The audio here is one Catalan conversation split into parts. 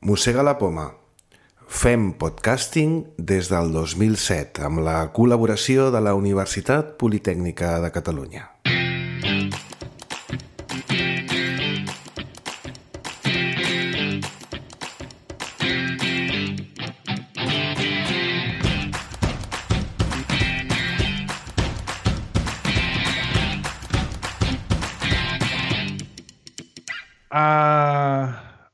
Mossega la poma. Fem podcasting des del 2007 amb la col·laboració de la Universitat Politècnica de Catalunya.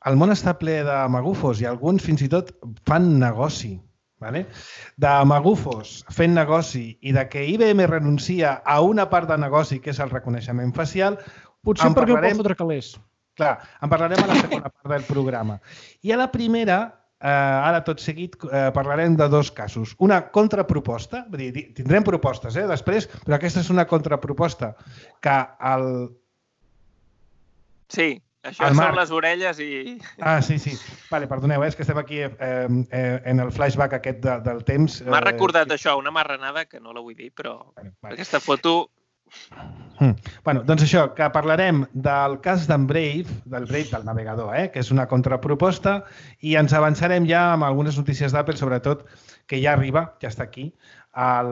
El món està ple de magufos i alguns fins i tot fan negoci. De magufos fent negoci i de que IBM renuncia a una part de negoci que és el reconeixement facial, potser perquè el pot fotre calés. Clar, en parlarem a la segona part del programa. I a la primera, ara tot seguit, parlarem de dos casos. Una contraproposta, tindrem propostes després, però aquesta és una contraproposta que el... Sí. Això són les orelles i... Sí. Vale, perdoneu, és que estem aquí en el flashback aquest del temps. M'ha recordat això, una marranada que no la vull dir, però aquesta foto... Doncs això, que parlarem del cas d'en Brave, del navegador, que és una contraproposta, i ens avançarem ja amb algunes notícies d'Apple, sobretot, que ja arriba, ja està aquí, al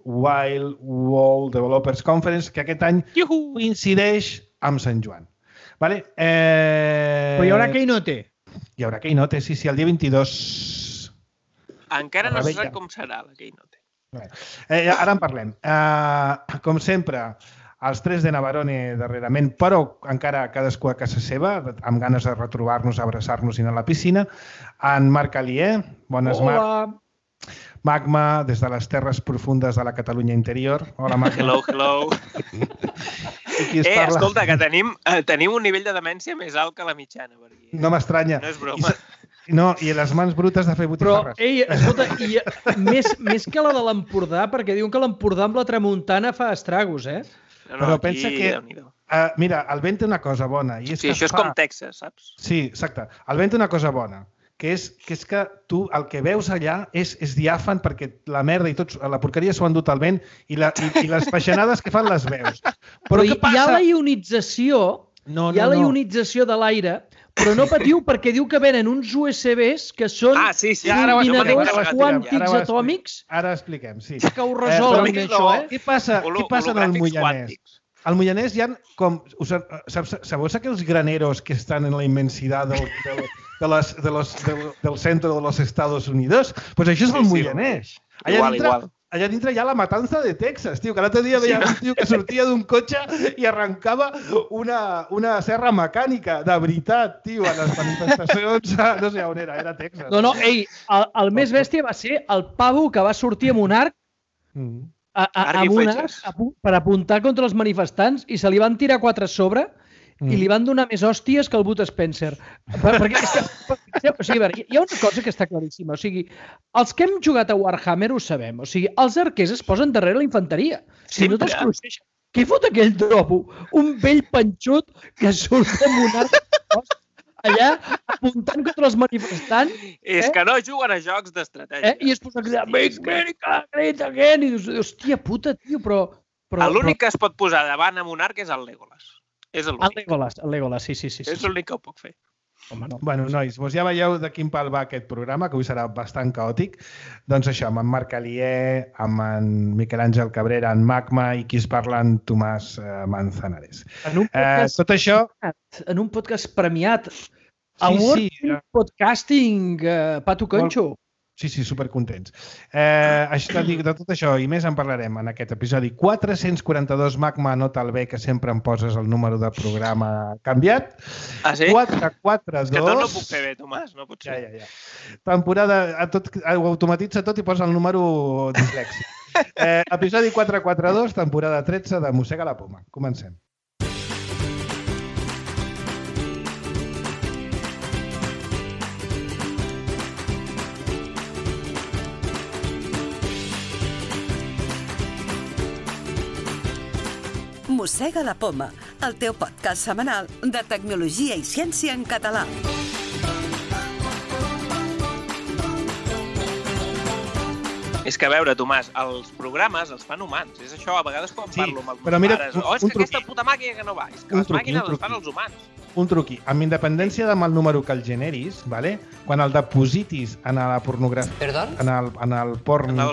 Wild World Developers Conference, que aquest any coincideix amb Sant Joan. Però hi haurà Keynote. Hi haurà Keynote, sí, el dia 22. Encara no se sap com serà la Keynote. Ara en parlem. Com sempre, els tres de Navarone darrerament, però encara cadascú a casa seva, amb ganes de retrobar-nos, abraçar-nos i anar a la piscina. En Marc Alier, bones, Marc. Magma, des de les terres profundes de la Catalunya interior. Hola, Magma. Hello. Escolta, que tenim un nivell de demència més alt que la mitjana. No m'estranya. No és broma. No, i les mans brutes de fer botifarres. Però, escolta, més que la de l'Empordà, perquè diuen que l'Empordà amb la tramuntana fa estragos, Però pensa que... Mira, el vent té una cosa bona. Sí, això és com Texas, saps? Sí, exacte. El vent té una cosa bona, que és que tu el que veus allà és diàfan perquè la merda i la porqueria s'ho han dut al vent i les peixanades que fan les veus. Però hi ha la ionització, la ionització de l'aire, però no patiu perquè diu que venen uns USBs que són combinadors quàntics atòmics. Ara expliquem, sí. Que ho resolen, això, Què passa en el Moianès? Al Moianès hi ha com... Sabeu aquells graneros que estan en la immensitat del centre de los Estados Unidos? Doncs això és el Moianès. Allà dintre hi ha la matança de Texas, tio, que l'altre dia veia un tio que sortia d'un cotxe i arrencava una serra mecànica, de veritat, tio, a les manifestacions, no sé on era Texas. No, el més bèstia va ser el pavo que va sortir amb un arc per apuntar contra els manifestants i se li van tirar 4 a sobre i li van donar més hòsties que el Bud Spencer. Perquè hi ha una cosa que està claríssima. O sigui, els que hem jugat a Warhammer ho sabem. O sigui, els arquers es posen darrere la infanteria. Si no te'ls cruixeixen. Què fot aquell dropo? Un vell panxut que surt amb un arc allà apuntant contra els manifestants. És que no juguen a jocs d'estratègia. I es posa a cridar Make America Great Again. I dius, hòstia puta, tio, però... L'únic que es pot posar davant amb un arc és el Legolas. És l'únic. El Legolas, sí. És l'únic que ho puc fer. Home, no. Bueno, nois, ja veieu de quin pal va aquest programa, que avui serà bastant caòtic. Doncs això, amb en Marc Alier, amb en Miquel Àngel Cabrera, en Magma i qui es parla, en Tomàs Manzanares. Tot això... En un podcast premiat. Award Podcasting, Pato Conxo. Sí, supercontents. De tot això i més en parlarem en aquest episodi 442. Magma, anota el bé, que sempre em poses el número de programa canviat. Ah, sí? 442. És que tot no puc fer bé, Tomàs, no pot ser. Ja. Temporada, ho automatitza tot i posa el número dislèxic. Episodi 442, temporada 13 de Mossega la poma. Comencem. Mossega la poma, el teu podcast setmanal de tecnologia i ciència en català. És que, a veure, Tomàs, els programes els fan humans. És això, a vegades quan parlo amb els meus pares. És que aquesta puta màquina que no va. És que les màquines les fan els humans. un truqui. Amb independència del número que el generis, ¿vale? Quan el depositis en la pornografia... ¿Perdón? En el porno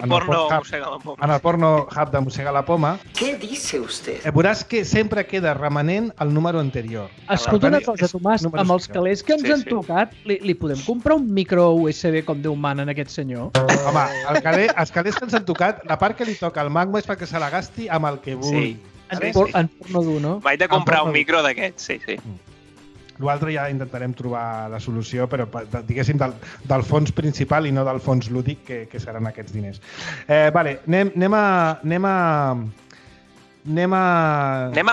hub de Mossega la Poma... ¿Qué dice usted? Veuràs que sempre queda remanent el número anterior. Escolta una cosa, Tomàs, amb els calés que ens han tocat, li podem comprar un micro USB com Déu mana en aquest senyor? Home, els calés que ens han tocat, la part que li toca al Magma és perquè se la gasti amb el que vulgui. En porno dur, no? Vaig de comprar un micro d'aquests, sí. L'altre ja intentarem trobar la solució, però diguéssim del fons principal i no del fons lúdic, que seran aquests diners. Vale, anem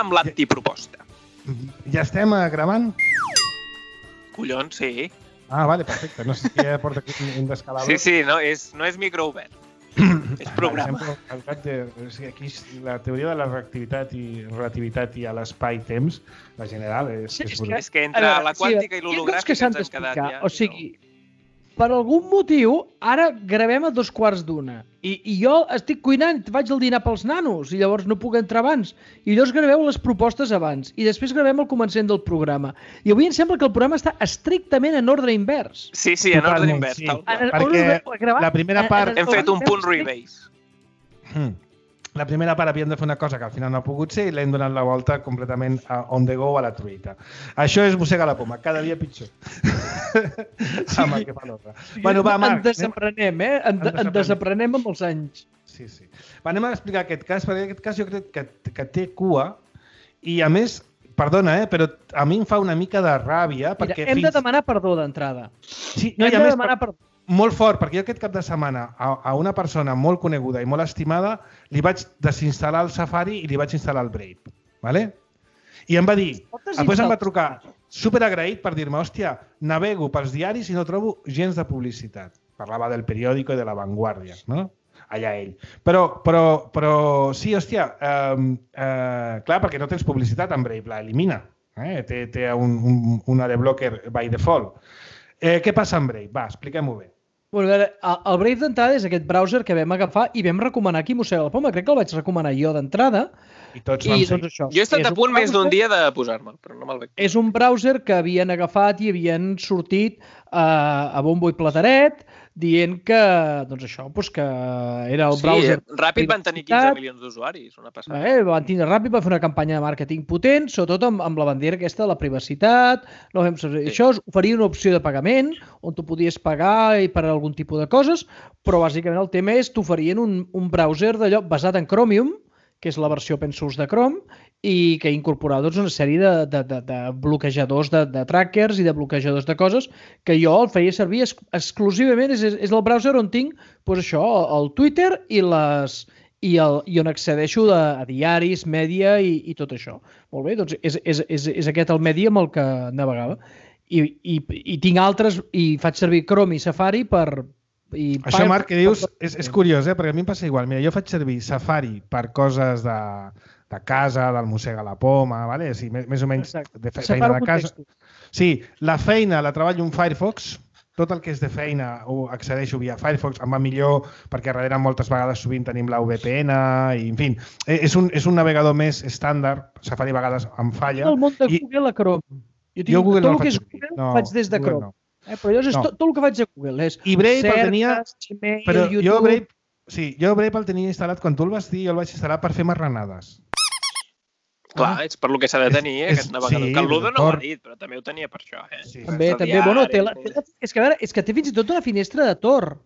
amb l'antiproposta. Ja estem gravant? Collons, sí. Ah, vale, perfecte. No sé si ja porta aquí un descalabro. Sí, no és micro obert. És programa. Aquí la teoria de la relativitat i l'espai-temps, la general, és brutal. És que entre la quàntica i l'hologràfica ens hem quedat ja. O sigui, per algun motiu, ara gravem a 2:15 i jo estic cuinant, vaig al dinar pels nanos i llavors no puc entrar abans. I llavors graveu les propostes abans i després gravem el començament del programa. I avui em sembla que el programa està estrictament en ordre invers. Sí, en ordre invers. Perquè la primera part... Hem fet un punt rebase. La primera part havíem de fer una cosa que al final no ha pogut ser i l'hem donat la volta completament on the go a la truita. Això és Mossega la Poma, cada dia pitjor. Amb el que fa l'altre. Bueno, va, Marc. En desaprenem, En desaprenem amb els anys. Sí. Va, anem a explicar aquest cas, perquè aquest cas jo crec que té cua i, a més, perdona, però a mi em fa una mica de ràbia perquè... Mira, hem de demanar perdó d'entrada. Sí, no, hem de demanar perdó. Molt fort, perquè jo aquest cap de setmana a una persona molt coneguda i molt estimada li vaig desinstal·lar el Safari i li vaig instal·lar el Brave. ¿Vale? I em va dir, després em va trucar superagraït per dir-me, hòstia, navego pels diaris i no trobo gens de publicitat. Parlava del periòdico i de La Vanguardia, no? Allà ell. Però sí, hòstia, clar, perquè no tens publicitat en Brave, la elimina. Té un adblocker by default. Què passa amb Brave? Va, expliquem-ho bé. Bueno, a veure, el Brave d'entrada és aquest browser que vam agafar i vam recomanar aquí Mossega la Poma. Crec que el vaig recomanar jo d'entrada. I tots vam ser. Doncs això. Jo he estat a punt més d'un dia de posar-me'l, però no me'l veig. És un browser que havien agafat i havien sortit a bombo i plateret dient que, doncs això, que era el browser... Sí, Ràpid van tenir 15 milions d'usuaris, una passada. Ràpid va fer una campanya de màrqueting potent, sobretot amb la bandera aquesta de la privacitat. Això oferia una opció de pagament, on tu podies pagar per algun tipus de coses, però bàsicament el tema és que t'oferien un browser d'allò basat en Chromium, que és la versió open source de Chrome, i que incorporava una sèrie de bloquejadors de trackers i de bloquejadors de coses que jo el feia servir exclusivament. És el browser on tinc això, el Twitter i on accedeixo a diaris, mèdia i tot això. Molt bé, doncs és aquest el medi amb el que navegava. I tinc altres, i faig servir Chrome i Safari per... Això, Marc, que dius, és curiós, perquè a mi em passa igual. Mira, jo faig servir Safari per coses de casa, del Mossega la Poma, ¿vale? Sí, més o menys de feina de casa. Sí, la feina la treballo en Firefox, tot el que és de feina ho accedeixo via Firefox, em va millor perquè darrere moltes vegades sovint tenim la VPN i, en fi, és un navegador més estàndard, Safari a vegades em falla. El món de Google a Chrome. Jo Google no el faig servir. Tot el que és Google faig des de Chrome. Però llavors tot el que faig a Google és Gmail, però jo Brave el tenia instal·lat quan tu el vas dir, jo el vaig instal·lar per fer marranades. Clar, és per lo que s'ha de tenir, aquest navegador. Que el Ludo no ho ha dit, però també ho tenia per això. També. Bueno, és que té fins i tot una finestra de Tor.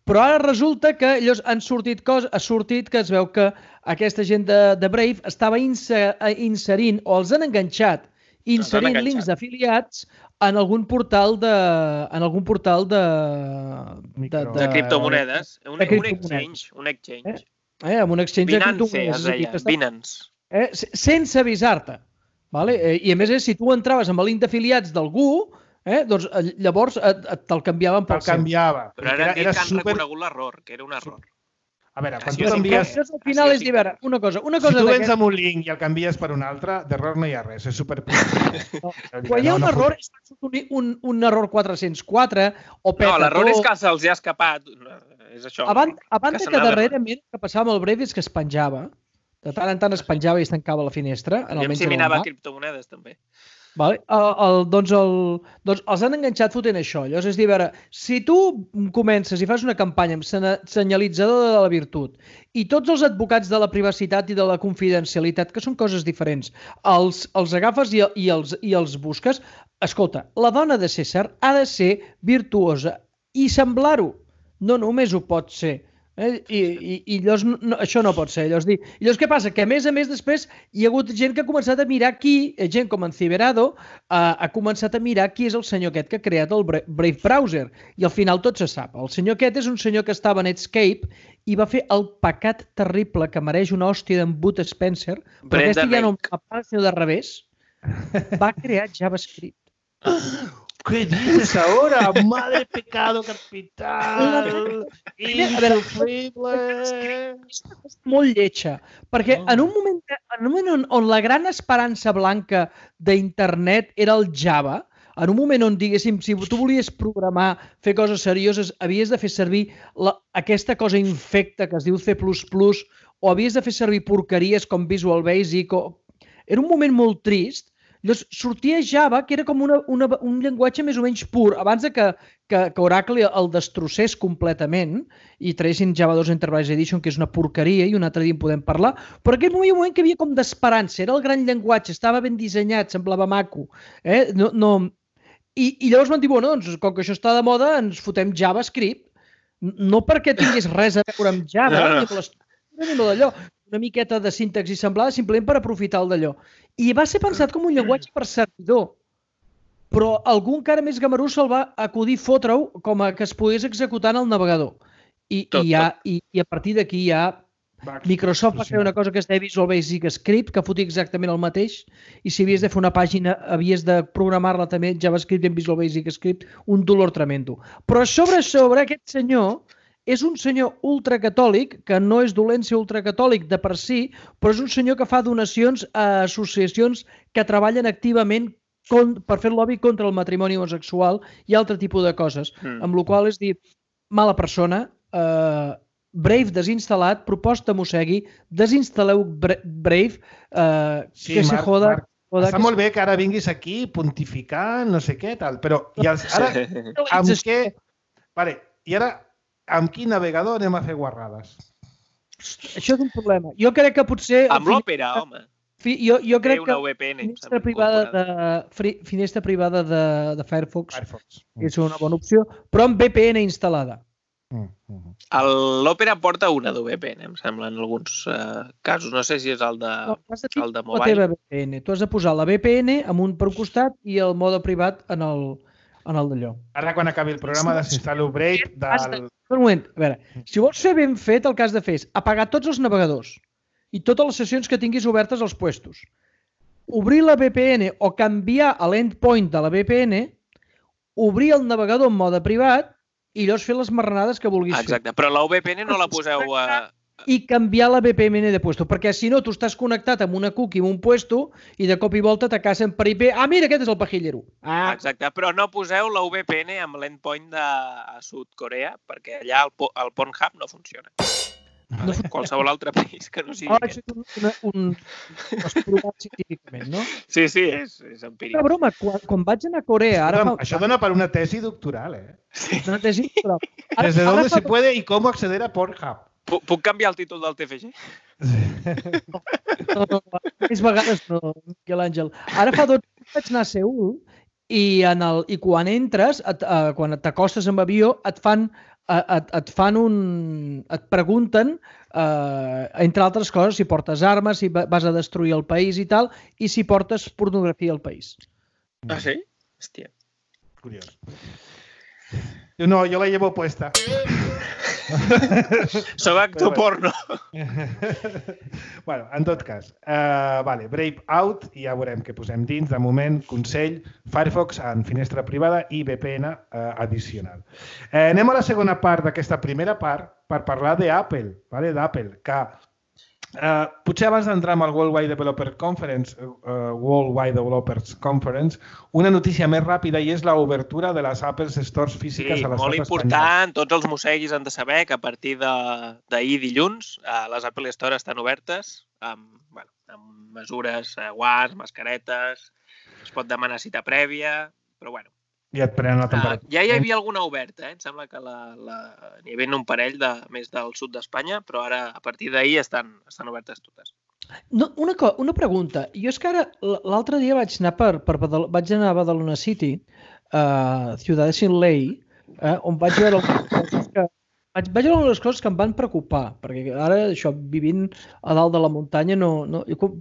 Però ara resulta que ha sortit que es veu que aquesta gent de Brave estava inserint, o els han enganxat, inserint links d'afiliats en algun portal de criptomonedes, un exchange. Amb un exchange de criptomonedes. Binance. Sense avisar-te. I a més, si tu entraves amb el link d'afiliats d'algú, doncs llavors te'l canviaven pel seu. Però ara han dit que han reconegut l'error, que era un error. A veure, quan tu t'envies... Al final és dir, una cosa... Si tu vens amb un link i el canvies per un altre, d'error no hi ha res, és superpositiu. Quan hi ha un error, és un error 404 o peta. No, l'error és que se'ls ha escapat. És això. A banda que darrerament el que passava amb el Brave és que es penjava. De tant en tant es penjava i es tancava la finestra. Aviam si minava criptomonedes, també. Doncs els han enganxat fotent això. Llavors, és dir, a veure, si tu comences i fas una campanya amb senyalitzador de la virtut i tots els advocats de la privacitat i de la confidencialitat, que són coses diferents, els agafes i els busques, escolta, la dona de César ha de ser virtuosa i semblar-ho. No només ho pot ser. I llavors això no pot ser. Llavors què passa? Que a més després hi ha hagut gent que ha començat a mirar gent com en Ciberado ha començat a mirar qui és el senyor aquest que ha creat el Brave Browser, i al final tot se sap. El senyor aquest és un senyor que estava a Netscape i va fer el pecat terrible que mereix una hòstia d'en Bud Spencer, però aquesta ja no va pas de revés, va crear JavaScript. ¿Qué dices ahora? Madre pecado capital, insufrible. És una cosa molt lletja, perquè en un moment on la gran esperança blanca d'internet era el Java, en un moment on, diguéssim, si tu volies programar, fer coses serioses, havies de fer servir aquesta cosa infecta que es diu C++, o havies de fer servir porqueries com Visual Basic, era un moment molt trist. Llavors, sortia Java, que era com un llenguatge més o menys pur, abans que Oracle el destrossés completament i traguessin Java 2 Enterprise Edition, que és una porqueria, i un altre dia en podem parlar, però aquell moment que hi havia com d'esperança, era el gran llenguatge, estava ben dissenyat, semblava maco. I llavors van dir, bueno, doncs, com que això està de moda, ens fotem JavaScript, no perquè tingués res a veure amb Java, ni amb l'estructura, ni amb d'allò, una miqueta de sintaxi semblada simplement per aprofitar el d'allò. I va ser pensat com un llenguatge per servidor, però algú encara més gamarús se'l va acudir fotre-ho com a que es pogués executar en el navegador. I a partir d'aquí ja Microsoft va fer una cosa que es deia Visual Basic Script, que fotia exactament el mateix, i si havies de fer una pàgina havies de programar-la també en JavaScript i en Visual Basic Script, un dolor tremendo. Però sobre aquest senyor és un senyor ultracatòlic, que no és dolent ser ultracatòlic de per si, però és un senyor que fa donacions a associacions que treballen activament per fer lobby contra el matrimoni homosexual i altre tipus de coses. Amb la qual és dir, mala persona, Brave desinstal·lat, proposta Mossegui, desinstal·leu Brave, que se joda... Està molt bé que ara vinguis aquí pontificant, no sé què, tal, però ara amb quin navegador anem a fer guarrades? Això és un problema. Jo crec que potser... Amb l'Opera, home. Jo crec que VPN, finestra privada de Firefox és una bona opció, però amb VPN instal·lada. L'Opera porta una de VPN, em sembla, en alguns casos. No sé si és el de mobile. Tu has de posar la VPN amb un per un costat i el mode privat en el d'allò. Ara, quan acabi el programa, desinstal·lo Brave del... Un moment, a veure, si vols fer ben fet, el que has de fer és apagar tots els navegadors i totes les sessions que tinguis obertes als puestos. Obrir la VPN o canviar l'endpoint de la VPN, obrir el navegador en mode privat i llavors fer les marranades que vulguis fer. Exacte, però la VPN no la poseu a... I canviar la VPN de puesto, perquè si no, tu estàs connectat amb una cookie en un puesto i de cop i volta t'acacen per IP. Ah, mira, aquest és el pajillero. Exacte, però no poseu la VPN amb l'endpoint de Sud Corea, perquè allà el Pornhub no funciona. Qualsevol altre país que no sigui aquest. Això és un provat científicament, no? Sí, és empíric. Una broma, quan vaig anar a Corea... Això dona per una tesi doctoral, eh? Una tesi doctoral. Desde dónde se puede y cómo acceder a Pornhub. Puc canviar el títol del TFG? No, més vegades no, Miquel Àngel. Ara fa 2 anys vaig anar a Seül i quan entres, quan t'acostes amb avió, et pregunten, entre altres coses, si portes armes, si vas a destruir el país i tal, i si portes pornografia al país. Ah, sí? Hòstia. Curiós. No, yo la llevo puesta. Soc actor porno. Bueno, en tot cas, Brave out i ja veurem què posem dins. De moment, consell, Firefox en finestra privada i VPN addicional. Anem a la segona part d'aquesta primera part per parlar d'Apple, que potser abans d'entrar amb el Worldwide Developers Conference, una notícia més ràpida i és l'obertura de les Apple Stores físiques a l'estat espanyol. Molt important. Tots els mosseguis han de saber que a partir d'ahir dilluns les Apple Stores estan obertes amb mesures, guants, mascaretes, es pot demanar cita prèvia, però bueno. I et prenen la temperatura. Ja hi havia alguna oberta, Em sembla que n'hi havia un parell més del sud d'Espanya, però ara, a partir d'ahir, estan obertes totes. No, una pregunta. Jo és que ara, l'altre dia vaig anar vaig anar a Badalona City, Ciudad de Sin Ley, on vaig veure algunes coses que em van preocupar, perquè ara, això, vivint a dalt de la muntanya,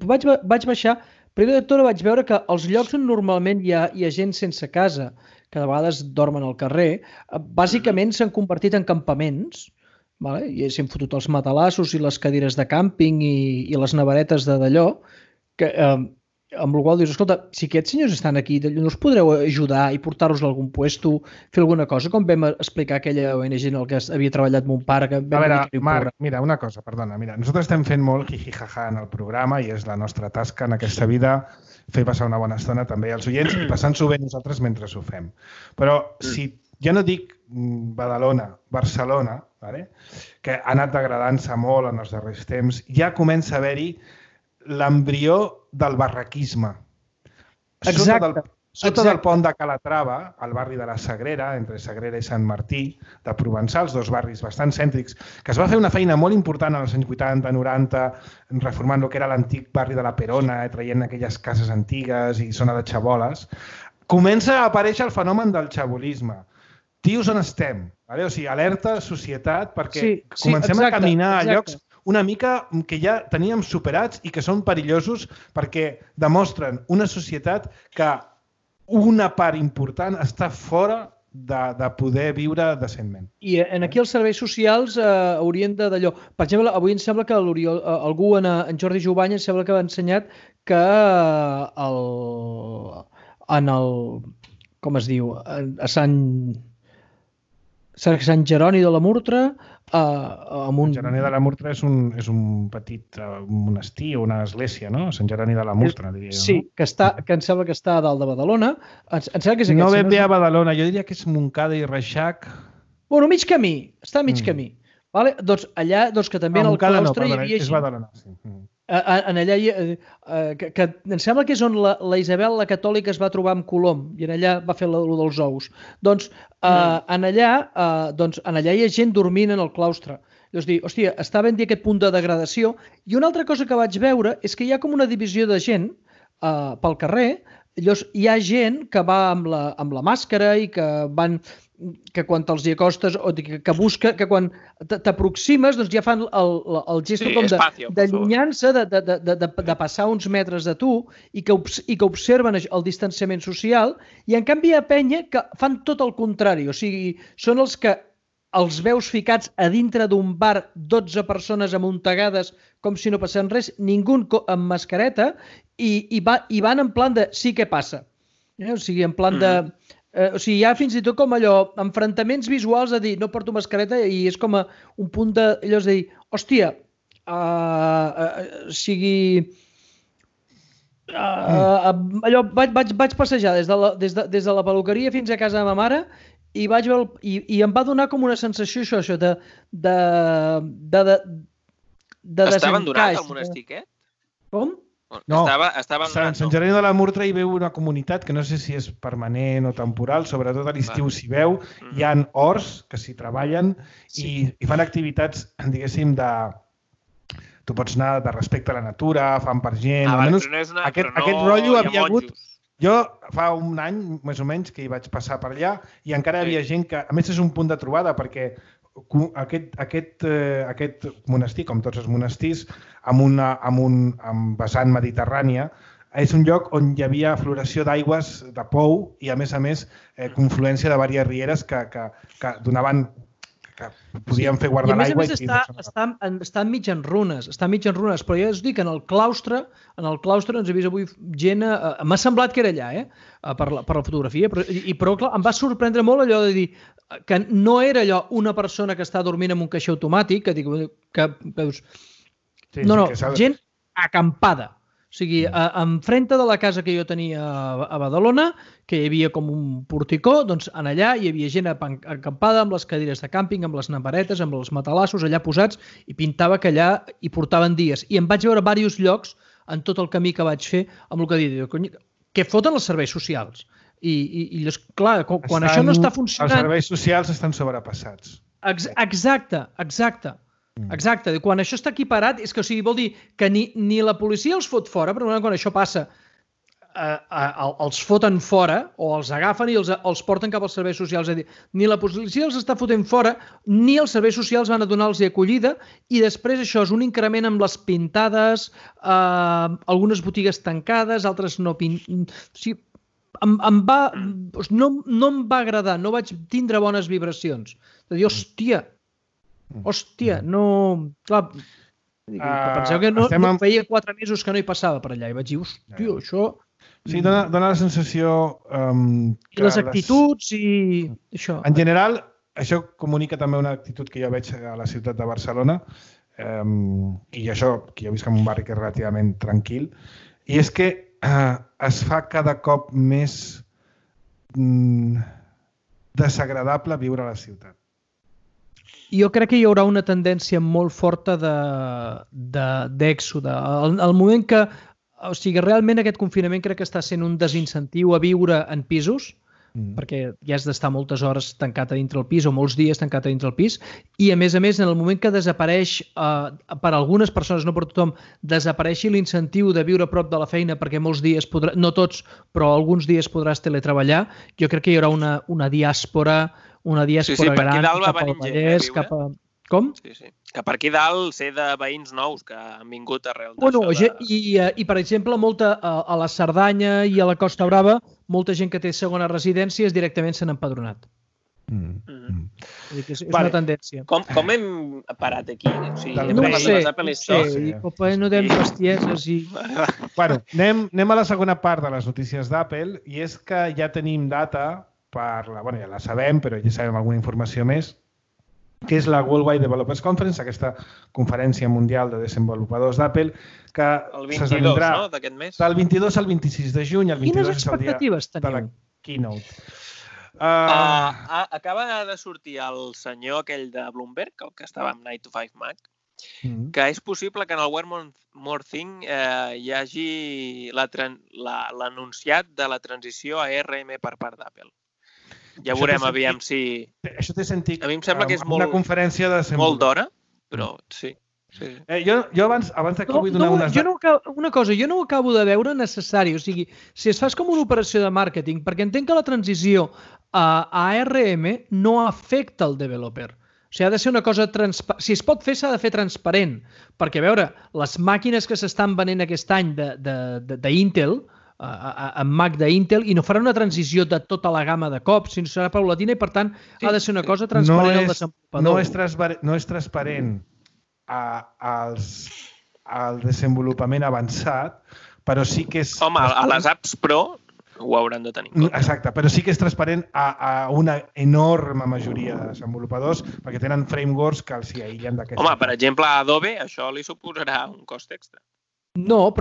vaig baixar. Primer de tot vaig veure que els llocs on normalment hi ha gent sense casa, que de vegades dormen al carrer, bàsicament s'han convertit en campaments, i s'han fotut els matalassos i les cadires de càmping i les neveretes d'allò, amb la qual dius, escolta, si aquests senyors estan aquí, no us podreu ajudar i portar-los a algun puesto, fer alguna cosa, com vam explicar aquella ONG en el que havia treballat en un parc. A veure, Marc, mira, una cosa, perdona, nosaltres estem fent molt jijijaja en el programa i és la nostra tasca en aquesta vida fer passar una bona estona també als oients i passant-s'ho bé nosaltres mentre ho fem. Però si jo no dic Badalona, Barcelona, que ha anat degradant-se molt en els darrers temps, ja comença a haver-hi l'embrió del barraquisme. Exacte. Sota del pont de Calatrava, al barri de la Sagrera, entre Sagrera i Sant Martí, de Provençals, dos barris bastant cèntrics, que es va fer una feina molt important als anys 80, 90, reformant el que era l'antic barri de la Perona, traient aquelles cases antigues i zona de xaboles, comença a aparèixer el fenomen del xabolisme. Tios, on estem? O sigui, alerta, societat, perquè comencem a caminar a llocs una mica que ja teníem superats i que són perillosos perquè demostren una societat que una part important està fora de poder viure decentment. I aquí els serveis socials haurien d'allò. Per exemple, avui em sembla que algú, en Jordi Jovany, em sembla que va ensenyat que com es diu, a Sant Jeroni de la Murtra... Sant Jeroni de la Murtra és un petit monestir o una església, no? Sant Jeroni de la Murtra, diria jo. Sí, que em sembla que està a dalt de Badalona. No ben bé a Badalona, jo diria que és Montcada i Reixac. Bueno, mig camí, està a mig camí. Doncs allà, que també en el claustre hi havia... És Badalona, sí. En allà, que em sembla que és on la Isabel, la catòlica, es va trobar amb Colom i en allà va fer allò dels ous. Doncs en allà hi ha gent dormint en el claustre. És dir, hòstia, està ben dir aquest punt de degradació. I una altra cosa que vaig veure és que hi ha com una divisió de gent pel carrer. Llavors, hi ha gent que va amb la màscara i que quan te'ls hi acostes o que busca, que quan t'aproximes doncs ja fan el gest com d'allunyar-se, de passar uns metres de tu i que observen el distanciament social, i en canvi hi ha penya que fan tot el contrari, o sigui, són els que els veus ficats a dintre d'un bar, 12 persones amuntegades com si no passés res, ningú amb mascareta, i van en plan de sí que passa. O sigui, en plan de... O sigui, hi ha fins i tot com allò, enfrontaments visuals de dir no porto mascareta i és com un punt d'allò de dir, hòstia, o sigui... Allò, vaig passejar des de la peluqueria fins a casa de ma mare i vaig veure i em va donar com una sensació això de desencaix. Està abandonat el monestir aquest? Com? No, estava a Sant Jeroni de la Murtra hi veu una comunitat que no sé si és permanent o temporal, sobretot a l'estiu s'hi veu, hi ha horts que s'hi treballen i fan activitats, diguéssim, tu pots anar de respecte a la natura, fan per gent... Aquest rotllo havia hagut... Jo fa un any, més o menys, que hi vaig passar per allà i encara hi havia gent que, a més, és un punt de trobada perquè aquest monestir, com tots els monestirs, amb vessant mediterrània, és un lloc on hi havia floració d'aigües de pou i, a més, confluència de diverses rieres que donaven... que podien fer guardar l'aigua. I a més està enmig en runes, però ja us dic, en el claustre ens he vist avui gent, m'ha semblat que era allà, per la fotografia, però clar, em va sorprendre molt allò de dir que no era allò una persona que està dormint en un caixer automàtic, que dius... No, gent acampada. O sigui, enfrente de la casa que jo tenia a Badalona, que hi havia com un porticó, doncs en allà hi havia gent acampada amb les cadires de càmping, amb les neveretes, amb els matalassos allà posats, i pintava que allà hi portaven dies. I em vaig veure diversos llocs en tot el camí que vaig fer amb el que dic, que foten els serveis socials. I clar, quan això no està funcionant... Els serveis socials estan sobrepassats. Exacte. Quan això està equiparat, és que vol dir que ni la policia els fot fora, però quan això passa, els foten fora o els agafen i els porten cap als serveis socials. És a dir, ni la policia els està fotent fora, ni els serveis socials van a donar-los acollida, i després això és un increment amb les pintades, algunes botigues tancades, altres no pintades... No em va agradar, no vaig tindre bones vibracions. De dir, hòstia, no... Clar, penseu que no feia 4 mesos que no hi passava per allà i vaig dir, hòstia, això... Sí, dona la sensació... I les actituds i això. En general, això comunica també una actitud que jo veig a la ciutat de Barcelona, i això, que jo visc en un barri que és relativament tranquil, i és que es fa cada cop més desagradable viure a la ciutat. Jo crec que hi haurà una tendència molt forta d'èxode. Al moment que... O sigui, realment aquest confinament crec que està sent un desincentiu a viure en pisos, perquè ja has d'estar moltes hores tancat a dintre el pis o molts dies tancat a dintre el pis, i a més, en el moment que desapareix, per algunes persones, no per tothom, desapareixi l'incentiu de viure a prop de la feina perquè molts dies, no tots, però alguns dies podràs teletreballar, jo crec que hi haurà una diàspora gran cap al Vallès, cap a... Com? Sí. Que per aquí dalt sé de veïns nous que han vingut arrel d'això. I, per exemple, a la Cerdanya i a la Costa Brava, molta gent que té segona residència directament s'han empadronat. És una tendència. Com hem parat aquí? No ho sé. No tenim bestieses i... Bueno, anem a la segona part de les notícies d'Apple, i és que ja tenim data per la... Bueno, ja la sabem, però ja sabem alguna informació més, que és la Worldwide Developers Conference, aquesta conferència mundial de desenvolupadors d'Apple, que s'esdevindrà d'aquest mes. Del 22 al 26 de juny. Quines expectatives teniu? De la keynote. Acaba de sortir el senyor aquell de Bloomberg, el que estava amb 9 to 5 Mac, que és possible que en el One More Thing hi hagi l'anunciat de la transició a ARM per part d'Apple. Ja veurem, aviam si... Això té sentit. A mi em sembla que és una conferència de molt d'hora, però sí. Jo abans que vull donar unes... Una cosa, jo no ho acabo de veure necessari. O sigui, si es fas com una operació de màrqueting, perquè entenc que la transició a ARM no afecta el developer. O sigui, ha de ser una cosa transparent. Si es pot fer, s'ha de fer transparent. Perquè, a veure, les màquines que s'estan venent aquest any d'Intel, amb Mac d'Intel, i no farà una transició de tota la gamma de cops, sinó serà paulatina i, per tant, ha de ser una cosa transparent al desenvolupador. No és transparent al desenvolupament avançat, però sí que és... Home, a les apps Pro ho hauran de tenir en compte. Exacte, però sí que és transparent a una enorme majoria de desenvolupadors, perquè tenen frameworks que els hi aïllen d'aquesta. Home, per exemple, a Adobe això li suposarà un cost extra. No,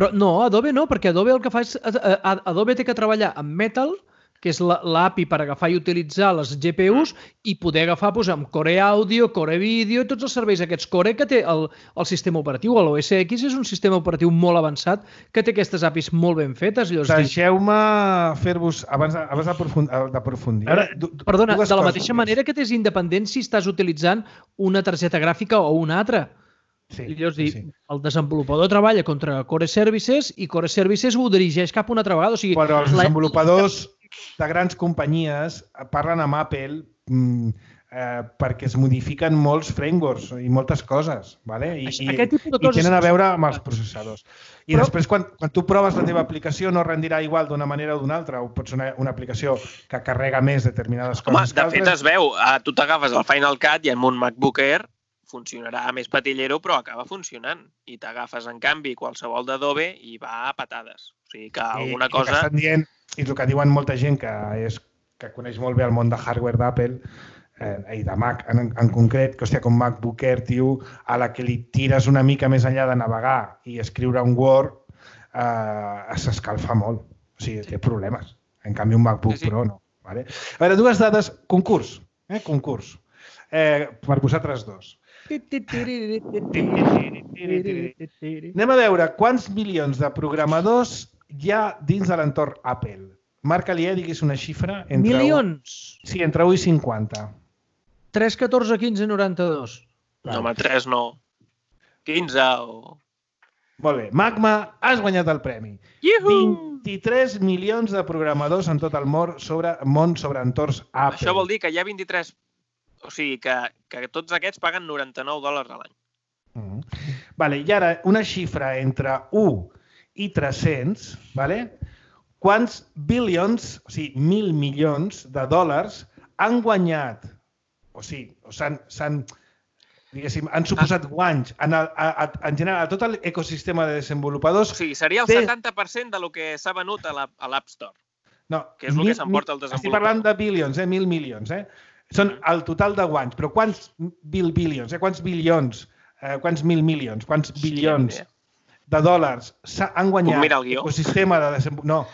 Adobe no, perquè Adobe el que fa és... Adobe té que treballar amb Metal, que és l'API per agafar i utilitzar les GPUs i poder agafar amb Core Audio, Core Video i tots els serveis aquests Core que té el sistema operatiu. L'OS X és un sistema operatiu molt avançat que té aquestes APIs molt ben fetes. Deixeu-me fer-vos, abans d'aprofundir... Perdona, de la mateixa manera que t'és independent si estàs utilitzant una targeta gràfica o una altra. El desenvolupador treballa contra Core Services i Core Services ho dirigeix cap una altra vegada. Però els desenvolupadors de grans companyies parlen amb Apple perquè es modifiquen molts frameworks i moltes coses, i tenen a veure amb els processadors. I després, quan tu proves la teva aplicació, no rendirà igual d'una manera o d'una altra, o pot ser una aplicació que carrega més determinades coses. Home, de fet es veu, tu t'agafes el Final Cut i amb un MacBook Air funcionarà més patillero, però acaba funcionant. I t'agafes, en canvi, qualsevol d'Adobe i va a patades. O sigui que alguna cosa... I el que diuen molta gent que coneix molt bé el món de hardware d'Apple i de Mac en concret, que, com MacBook Air, tio, a la que li tires una mica més enllà de navegar i escriure un Word, s'escalfa molt. O sigui, té problemes. En canvi, un MacBook Pro no. A veure, dues dades. Concurs. Per vosaltres dos. Anem a veure quants milions de programadors hi ha dins de l'entorn Apple? Marca-li, diguis una xifra. Milions. Sí, entre 1 i 50. 3, 14, 15, 92. No, home, 3 no. 15 o... Molt bé. Magma, has guanyat el premi. Iuhu! 23 milions de programadors en tot el món sobre entorns Apple. Això vol dir que hi ha 23... O sigui, que tots aquests paguen $99 a l'any. Vale, i ara una xifra entre 1 i 300, vale? Quants billions, o sigui, 1.000 milions de dòlars han guanyat, o sigui, han suposat guanys en general a tot l'ecosistema de desenvolupadors. O sigui, seria el 70% del que s'ha venut a l'App Store, que és el que s'emporta el desenvolupador. Estic parlant de billions, 1.000 milions. Són el total de guanys, però quants billions, quants bilions, quants mil milions, quants bilions de dòlars han guanyat l'ecosistema de desenvolupadors?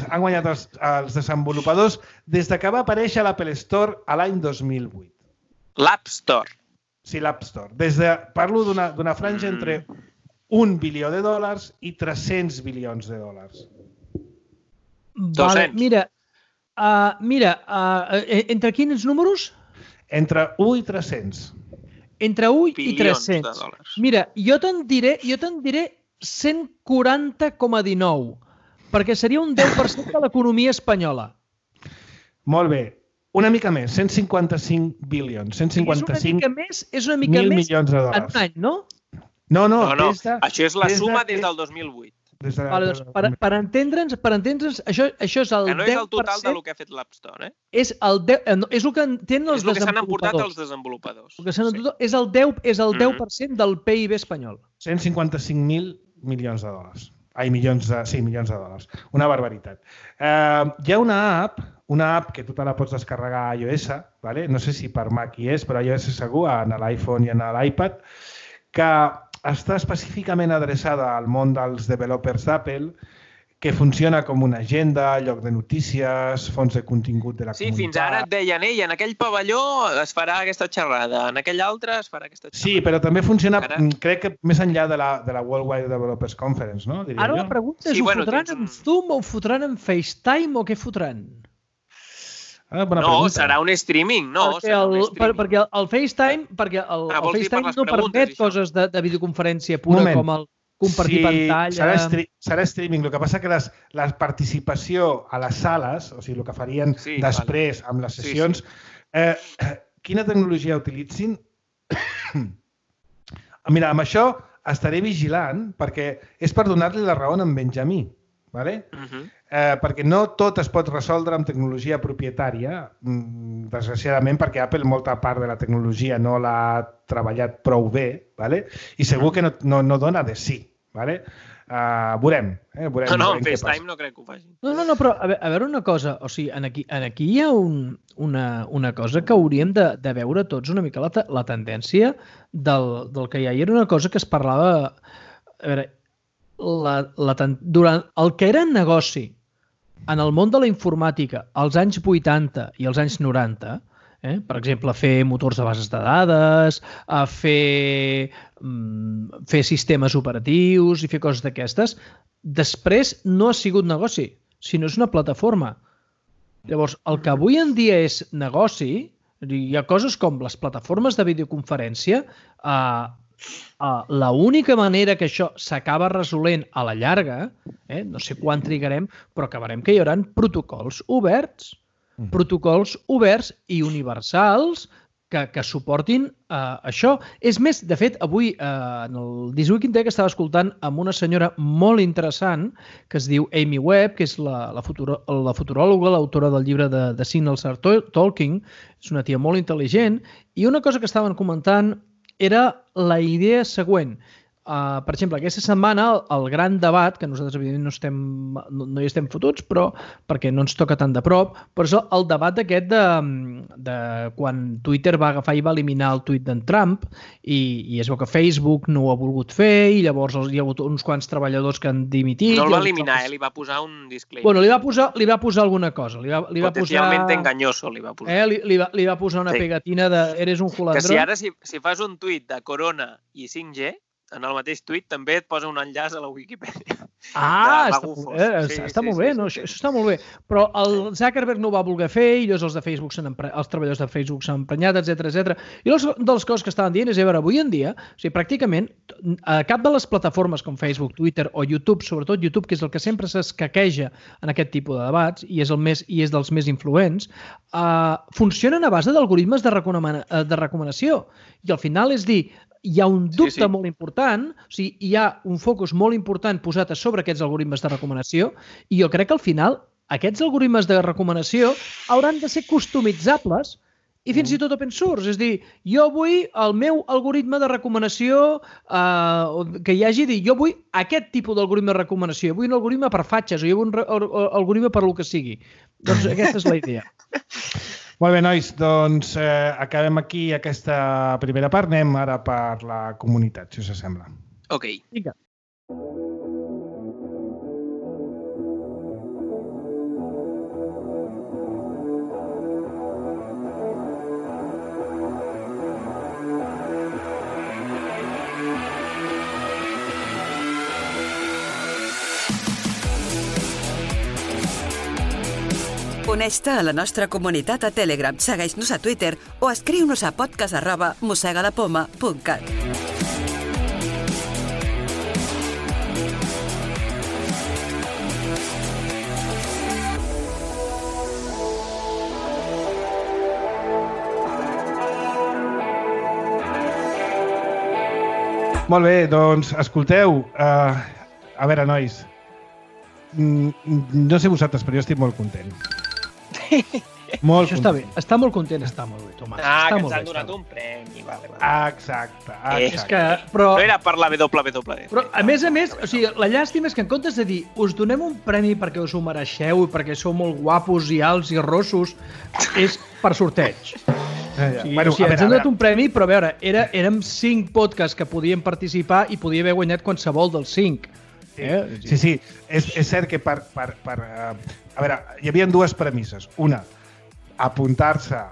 Han guanyat els desenvolupadors des que va aparèixer l'Apple Store a l'any 2008. L'App Store? Sí, l'App Store. Parlo d'una franja entre $1 bilió i 300 bilions de dòlars. Vale, mira, entre quins números? Entre 1 i 300. Entre 1 i 300. Mira, jo te'n diré 140,19, perquè seria un 10% de l'economia espanyola. Molt bé. Una mica més, 155 bilions. 155 és una mica més milions de dòlars. En un any, no? No. Això és la suma des del 2008. Per entendre'ns, això és el 10%... Que no és el total del que ha fet l'App Store, eh? És el que tenen els desenvolupadors. És el que s'han emportat els desenvolupadors. És el 10% del PIB espanyol. 155.000 milions de dòlars. Milions de dòlars. Una barbaritat. Hi ha una app que tu te la pots descarregar a iOS, no sé si per Mac hi és, però a iOS segur, en l'iPhone i en l'iPad, que està específicament adreçada al món dels developers d'Apple, que funciona com una agenda, lloc de notícies, fons de contingut de la comunitat. Sí, fins ara et deien, en aquell pavelló es farà aquesta xerrada, en aquell altre es farà aquesta xerrada. Sí, però també funciona, crec que més enllà de la Worldwide Developers Conference, no? Ara la pregunta és, ho fotran en Zoom o ho fotran en FaceTime o què fotran? No, serà un streaming, no? Perquè el FaceTime no permet coses de videoconferència pura com el compartir pantalla... Serà streaming. El que passa que la participació a les sales, o sigui, el que farien després amb les sessions, quina tecnologia utilitzin? Mira, amb això estaré vigilant perquè és per donar-li la raó a en Benjamí, perquè no tot es pot resoldre amb tecnologia propietària, desgraciadament, perquè Apple molta part de la tecnologia no l'ha treballat prou bé i segur que no dona de sí. Veurem. No, en FaceTime no crec que ho facin. No, però a veure una cosa, o sigui, aquí hi ha una cosa que hauríem de veure tots una mica la tendència del que hi ha. I era una cosa que es parlava... A veure, durant el que era negoci en el món de la informàtica als anys 80 i als anys 90, per exemple, fer motors de bases de dades, fer sistemes operatius i fer coses d'aquestes, després no ha sigut negoci, sinó és una plataforma. Llavors, el que avui en dia és negoci, hi ha coses com les plataformes de videoconferència, l'única manera que això s'acaba resolent a la llarga, no sé quan trigarem, però acabarem que hi haurà protocols oberts i universals que suportin això. És més, de fet, avui, en el This Week in Tech, estava escoltant amb una senyora molt interessant que es diu Amy Webb, que és la futuròloga, l'autora del llibre de Signals Are Talking. És una tia molt intel·ligent. I una cosa que estaven comentant era la idea següent. Per exemple, aquesta setmana el gran debat, que nosaltres evidentment no hi estem fotuts, però perquè no ens toca tan de prop, però és el debat aquest de quan Twitter va agafar i va eliminar el tuit d'en Trump i es veu que Facebook no ho ha volgut fer i llavors hi ha hagut uns quants treballadors que han dimitit. No el va eliminar, li va posar un disclaimer. Bueno, li va posar alguna cosa. Potencialment enganyoso li va posar. Li va posar una pegatina de eres un jolandró. Que si ara si fas un tuit de Corona i 5G, en el mateix tuit també et posa un enllaç a la Wikipedia. Està molt bé, això està molt bé. Però el Zuckerberg no ho va voler fer i llavors els treballadors de Facebook s'han emprenyat, etc. I una de les coses que estaven dient és, a veure, avui en dia, pràcticament, a cap de les plataformes com Facebook, Twitter o YouTube, sobretot YouTube, que és el que sempre s'escaqueja en aquest tipus de debats i és dels més influents, funcionen a base d'algoritmes de recomanació. I al final és dir, hi ha un dubte molt important, o sigui, hi ha un focus molt important posat a sobre aquests algoritmes de recomanació i jo crec que al final aquests algoritmes de recomanació hauran de ser customitzables i fins i tot open source. És dir, jo vull el meu algoritme de recomanació que hi hagi, jo vull aquest tipus d'algoritme de recomanació, jo vull un algoritme per fatxes o jo vull un algoritme per el que sigui. Doncs aquesta és la idea. Molt bé, nois, doncs acabem aquí aquesta primera part. Anem ara per la comunitat, si us sembla. Ok. Vinga. Uneix-te a la nostra comunitat a Telegram, segueix-nos a Twitter o escriu-nos a podcast@mosegalapoma.cat. Molt bé, doncs, escolteu, a veure, nois, no sé vosaltres, però jo estic molt content. Això està bé, està molt content, està molt bé, Tomàs. Que ens han donat un premi. Exacte. No era per la WWE. Però, a més, o sigui, la llàstima és que en comptes de dir us donem un premi perquè us ho mereixeu i perquè sou molt guapos i alts i rossos, és per sorteig. Ens han donat un premi, però a veure, érem 5 podcasts que podien participar i podia haver guanyat qualsevol dels 5. Sí. És cert que a veure, hi havia 2 premisses. Una, apuntar-se a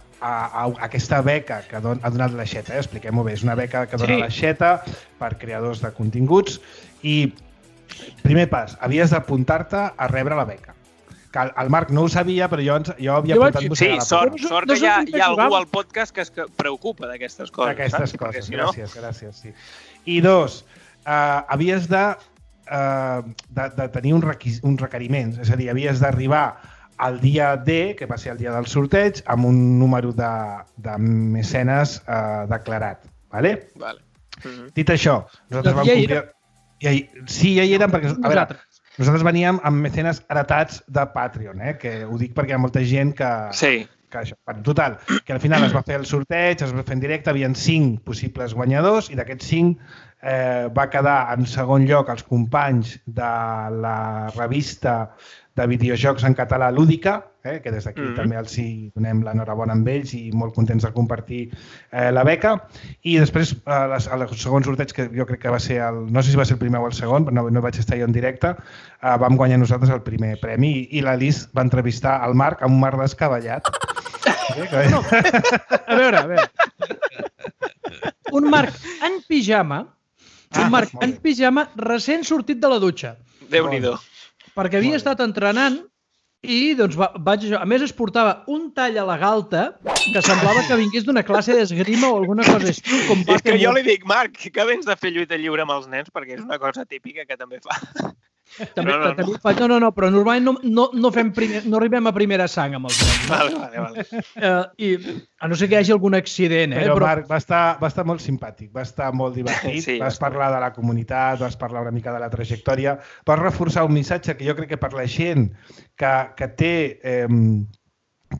aquesta beca que ha donat l'Aixeta. Expliquem-ho bé, és una beca que dona l'Aixeta per creadors de continguts i, primer pas, havies d'apuntar-te a rebre la beca. Que el Marc no ho sabia, però jo havia apuntat... Sí, sort que hi ha algú al podcast que es preocupa d'aquestes coses. D'aquestes coses, gràcies. Sí. I 2, havies de tenir uns requeriments, és a dir, havies d'arribar al dia D, que va ser el dia del sorteig, amb un número de mecenes declarat. Vale? Dit això, nosaltres vam complir... Sí, ja hi érem, perquè nosaltres veníem amb mecenes heretats de Patreon, que ho dic perquè hi ha molta gent que... Sí. Total, que al final es va fer el sorteig, es va fer en directe, hi havia 5 possibles guanyadors i d'aquests 5 va quedar en segon lloc els companys de la revista de videojocs en català Lúdica, que des d'aquí també els donem l'enhorabona amb ells i molt contents de compartir la beca. I després, al segon sorteig, que jo crec que va ser no sé si va ser el primer o el segon, però no vaig estar jo en directe, vam guanyar nosaltres el primer premi i l'Alice va entrevistar el Marc amb un Marc descabellat. A veure. Un Marc en pijama, recent sortit de la dutxa. Déu-n'hi-do. Perquè havia estat entrenant i doncs a més es portava un tall a la galta que semblava que vingués d'una classe d'esgrima o alguna cosa així. És que jo li dic, Marc, que vens de fer lluita lliure amb els nens perquè és una cosa típica que també fa. No, però normalment no arribem a primera sang amb els nens. Vale. I a no ser que hi hagi algun accident. Però Marc, va estar molt simpàtic, va estar molt divertit, vas parlar de la comunitat, vas parlar una mica de la trajectòria, vas reforçar un missatge que jo crec que per la gent que té...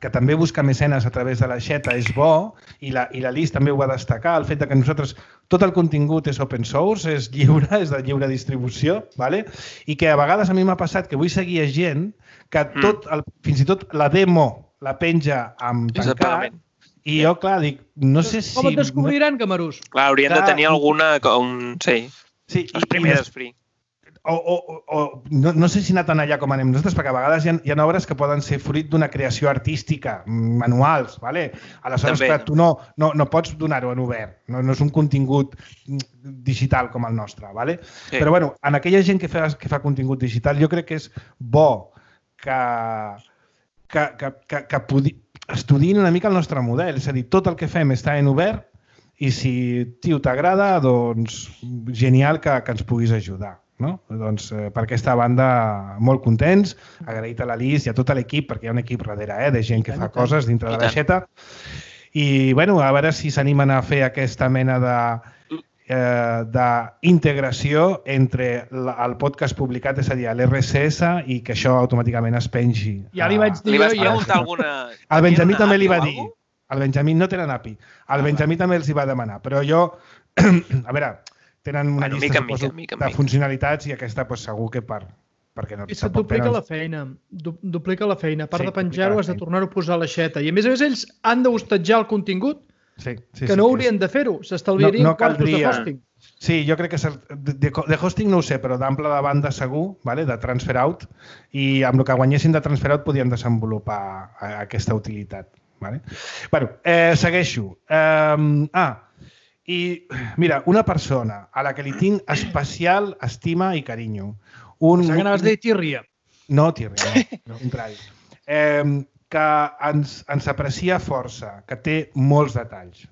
que també busca mecenes a través de l'Aixeta és bo, i la Liz també ho va destacar, el fet que nosaltres tot el contingut és open source, és lliure, és de lliure distribució, i que a vegades a mi m'ha passat que vull seguir gent que fins i tot la demo la penja amb tancat, i jo, clar, dic, no sé si... Com et descobriran, Camarús? Clar, haurien de tenir alguna... Sí, els primers free. no sé si anar tan allà com anem nosaltres, perquè a vegades hi ha obres que poden ser fruit d'una creació artística, manuals, ¿vale? Aleshores que tu no pots donar-ho en obert, no és un contingut digital com el nostre, ¿vale? Sí. Però bueno, en aquella gent que fa contingut digital jo crec que és bo que estudiïn una mica el nostre model, és a dir, tot el que fem està en obert i si, tio, t'agrada, doncs genial que ens puguis ajudar. No? Doncs per aquesta banda molt contents, agraït a l'Alice i a tot l'equip, perquè hi ha un equip darrere de gent que fa coses dintre de l'aixeta i bueno, a veure si s'animen a fer aquesta mena d'integració entre el podcast publicat, és a dir, l'RSS i que això automàticament es pengi. Ja li vaig dir jo. Li vas preguntar alguna... El Benjamí també li va dir. El Benjamí no tenen API. El Benjamí també els hi va demanar, però jo, a veure... Tenen una llista de funcionalitats i aquesta segur que perquè no... I se't duplica la feina. Duplica la feina. A part de penjar-ho, has de tornar-ho a posar a l'aixeta. I a més ells han d'hostatjar el contingut que no haurien de fer-ho. S'estalviarien quartos de hosting. Sí, jo crec que de hosting no ho sé, però d'ample de banda segur, de transfer out, i amb el que guanyessin de transfer out podien desenvolupar aquesta utilitat. Bueno, segueixo. I mira, una persona a la que li tinc especial estima i carinyo. Pensava que anaves a dir tírria. No, tírria, no, al contrari. Que ens aprecia força, que té molts detalls,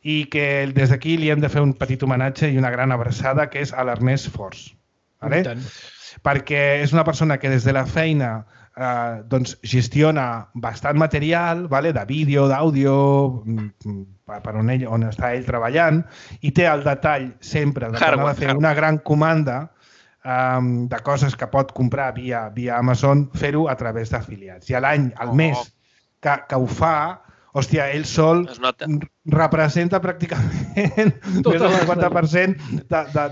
i que des d'aquí li hem de fer un petit homenatge i una gran abraçada, que és a l'Ernest Fors. Perquè és una persona que des de la feina gestiona bastant material de vídeo, d'àudio, per on està ell treballant, i té el detall sempre de tornar a fer una gran comanda de coses que pot comprar via Amazon, fer-ho a través d'afiliats. I al mes que ho fa, hòstia, ell sol representa pràcticament més del 50%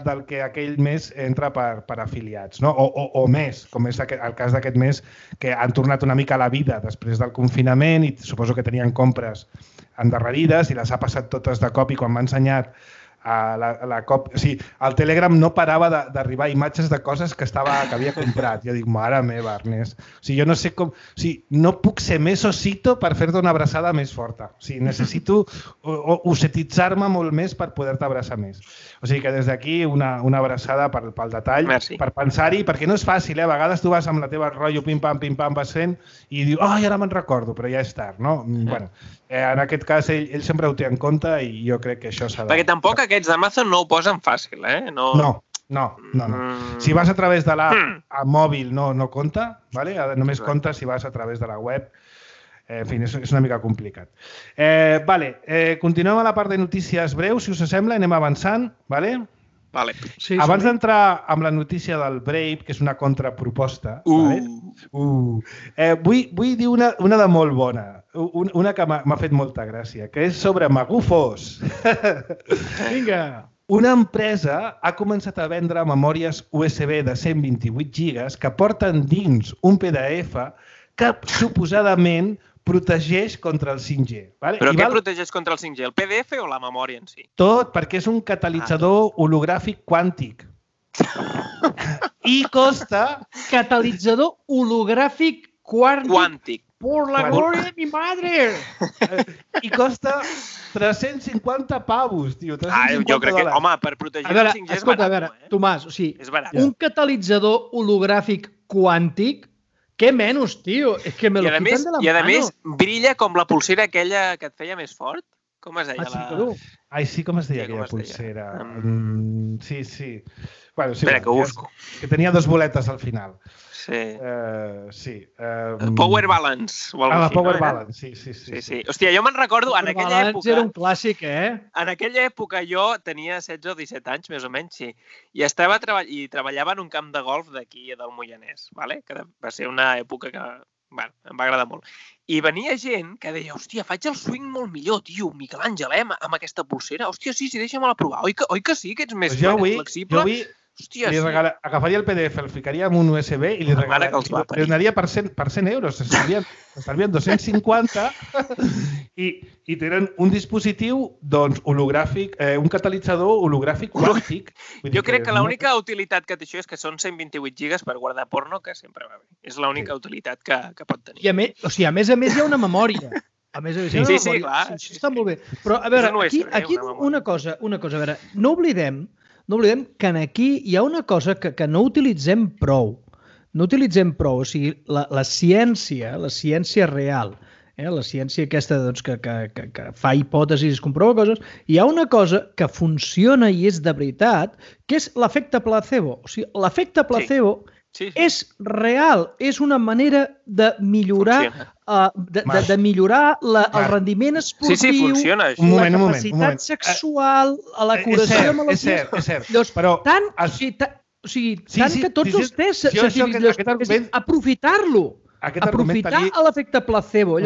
del que aquell mes entra per afiliats, o més, com és el cas d'aquest mes, que han tornat una mica a la vida després del confinament i suposo que tenien compres endarrerides i les ha passat totes de cop i quan m'ha ensenyat el Telegram no parava d'arribar imatges de coses que havia comprat. Jo dic, mare meva, Ernest. Jo no sé com... No puc ser més osito per fer-te una abraçada més forta. Necessito osetitzar-me molt més per poder-te abraçar més. O sigui que des d'aquí una abraçada pel detall, per pensar-hi, perquè no és fàcil, a vegades tu vas amb la teva rotllo pim-pam, vas fent i dius, ai, ara me'n recordo, però ja és tard, no? Bueno, en aquest cas ell sempre ho té en compte i jo crec que això s'ha de... Perquè tampoc aquests d'Amazon no ho posen fàcil, No. Si vas a través de l'app a mòbil no compta, només compta si vas a través de la web. En fi, és una mica complicat. Continuem a la part de notícies breus, si us sembla, anem avançant, Abans d'entrar amb la notícia del Brave, que és una contraproposta, vull dir una de molt bona, una que m'ha fet molta gràcia, que és sobre magufos. Vinga! Una empresa ha començat a vendre memòries USB de 128 gigas que porten dins un PDF que suposadament protegeix contra el 5G. Però què protegeix contra el 5G? El PDF o la memòria en si? Tot, perquè és un catalitzador hologràfic quàntic. I costa... Catalitzador hologràfic quàntic. Por la gloria de mi madre! I costa 350 pavos, tio. Jo crec que, home, per protegir el 5G és barat. A veure, Tomàs, un catalitzador hologràfic quàntic, què menys, tio? És que me lo quitan de la mano. I a més, brilla com la pulsera aquella que et feia més fort. Com es deia? Ai, sí, com es deia aquella pulsera? Sí. Espera, que ho busco. Que tenia dos boletes al final. Sí. Power Balance. La Power Balance, sí. Hòstia, jo me'n recordo, en aquella època... Era un clàssic, En aquella època jo tenia 16 o 17 anys, més o menys, sí. I treballava en un camp de golf d'aquí, del Moianès, que va ser una època que em va agradar molt. I venia gent que deia, hòstia, faig el swing molt millor, tio, Miquel Àngel, amb aquesta pulsera. Hòstia, sí, deixa'm-la provar. Oi que sí, que ets més flexible? Hòstia, li agafaria el PDF, el ficaria en un USB i li donaria per 100 euros. S'estalvien 250 i tenen un dispositiu hologràfic, un catalitzador hologràfic quàntic. Jo crec que l'única utilitat que té això és que són 128 gigas per guardar porno, que sempre va bé. És l'única utilitat que pot tenir. I a més a més hi ha una memòria. A més, sí, clar. Això està molt bé. Però, a veure, aquí una cosa, a veure, no oblidem que aquí hi ha una cosa que no utilitzem prou. No utilitzem prou, o sigui, la ciència real, la ciència aquesta que fa hipòtesis, comprova coses, hi ha una cosa que funciona i és de veritat, que és l'efecte placebo. O sigui, l'efecte placebo és real, és una manera de millorar de millorar el rendiment esportiu, funciona, la capacitat sexual, la curació de malalties. És cert, però... Tant que tots els tests científics, aprofitar-lo, aprofitar l'efecte placebo.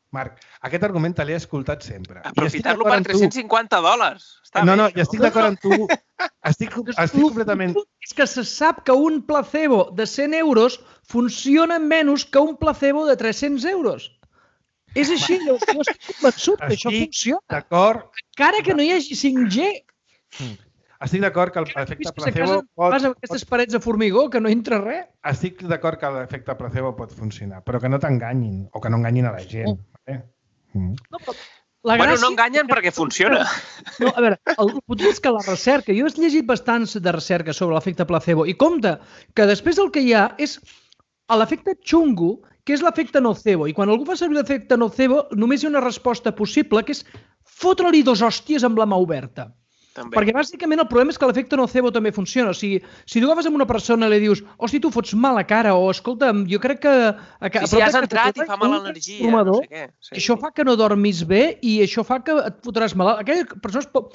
Marc, aquest argument te l'he escoltat sempre. Aprofitar-lo per $350. No, i estic d'acord amb tu. Estic completament... És que se sap que un placebo de 100 euros funciona menys que un placebo de 300 euros. És així, jo estic convençut que això funciona. D'acord. Encara que no hi hagi 5G. Estic d'acord que l'efecte placebo pot... Vas amb aquestes parets de formigó que no entra res. Estic d'acord que l'efecte placebo pot funcionar, però que no t'enganyin o que no enganyin a la gent. Bueno, no enganyen perquè funciona. No, a veure, el motiu és que la recerca, jo he llegit bastants de recerca sobre l'efecte placebo i compte que després el que hi ha és l'efecte xungo, que és l'efecte nocebo. I quan algú fa servir l'efecte nocebo, només hi ha una resposta possible, que és fotre-li 2 hòsties amb la mà oberta. També. Perquè bàsicament el problema és que l'efecte nocebo també funciona. O sigui, si tu agafes amb una persona i li dius hosti, tu fots mal a cara, o escolta, jo crec que... Si has entrat i fa mala energia, no sé què. Això fa que no dormis bé i això fa que et fotràs malalt. Aquella persona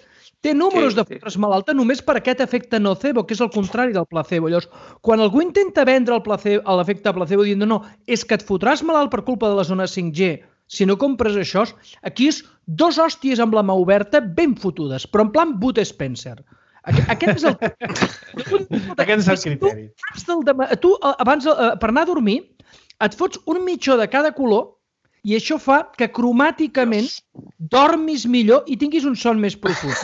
té números de fotre's malalta només per aquest efecte nocebo, que és el contrari del placebo. Llavors, quan algú intenta vendre l'efecte placebo dient no, és que et fotràs malalt per culpa de les zones 5G, si no compres això, aquí és 2 hòsties amb la mà oberta ben fotudes, però en plan Bud Spencer. Aquest és el... Aquest és el criteri. Tu, abans, per anar a dormir, et fots un mitjó de cada color i això fa que cromàticament dormis millor i tinguis un son més profund.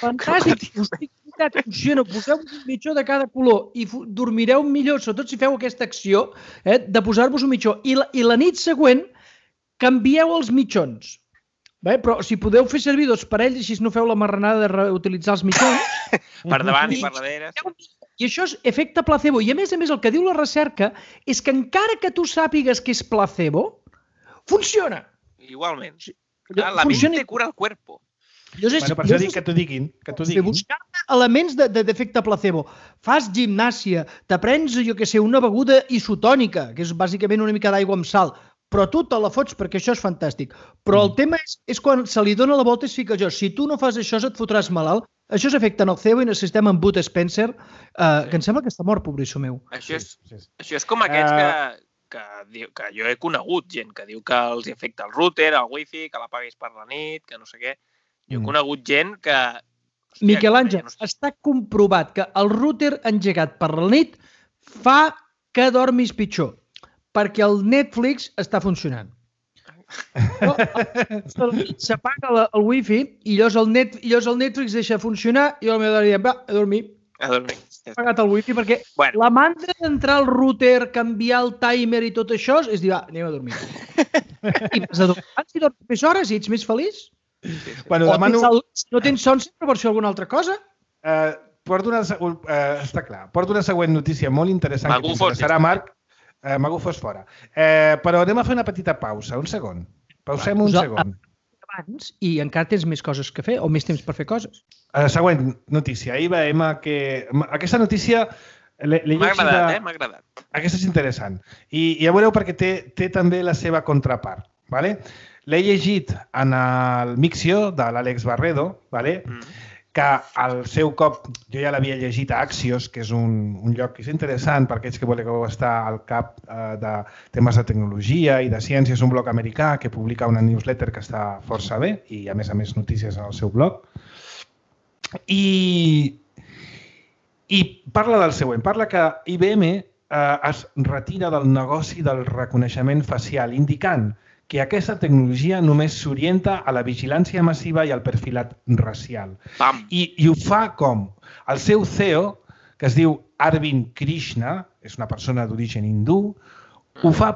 Fantàstic. Funciona, poseu un mitjó de cada color i dormireu millor, sobretot si feu aquesta acció de posar-vos un mitjó. I la nit següent canvieu els mitjons. Però si podeu fer servir 2 parells, així no feu la marranada de reutilitzar els mitjons. Per davant i per darrere. I això és efecte placebo. I a més el que diu la recerca és que encara que tu sàpigues que és placebo, funciona. Igualment. La mente cura el cuerpo. Per això dic que t'ho diguin. Buscar elements d'efecte placebo. Fas gimnàsia, t'aprens, una beguda isotònica, que és bàsicament una mica d'aigua amb sal, però tu te la fots perquè això és fantàstic. Però el tema és quan se li dona la volta i es fica jo. Si tu no fas això, et fotràs malalt. Això és efecte nocebo i necessitem en Bud Spencer, que em sembla que està mort, pobrisso meu. Això és com aquests que jo he conegut gent que diu que els afecta el router, el wifi, que l'apaguis per la nit, que no sé què. Jo he conegut gent que... Miquel Àngel, està comprovat que el router engegat per la nit fa que dormis pitjor, perquè el Netflix està funcionant. S'apaga el wifi i llavors el Netflix deixa funcionar i el meu dèiem, va, a dormir. A dormir. He apagat el wifi perquè la mandra d'entrar al router, canviar el timer i tot això és dir, va, anem a dormir. I vas a dormir. Si dorms més hores i ets més feliç. Si no tens son, sempre vols fer alguna altra cosa? Està clar. Porto una següent notícia molt interessant que t'interessarà, Marc. Mago fos fora. Però anem a fer una petita pausa. Un segon. Pausem un segon. Abans i encara tens més coses que fer o més temps per fer coses. Següent notícia. Ahir veiem que... Aquesta notícia... M'ha agradat, m'ha agradat. Aquesta és interessant. I ja veureu perquè té també la seva contrapart. L'he llegit en el Mixio de l'Àlex Barredo, que al seu cop, jo ja l'havia llegit a Axios, que és un lloc que és interessant per aquells que voleu estar al cap de temes de tecnologia i de ciència. És un blog americà que publica una newsletter que està força bé i a més notícies en el seu blog. I I parla del següent. Parla que IBM es retira del negoci del reconeixement facial, indicant que aquesta tecnologia només s'orienta a la vigilància massiva i al perfilat racial. I ho fa com? El seu CEO, que es diu Arvind Krishna, és una persona d'origen hindú, ho fa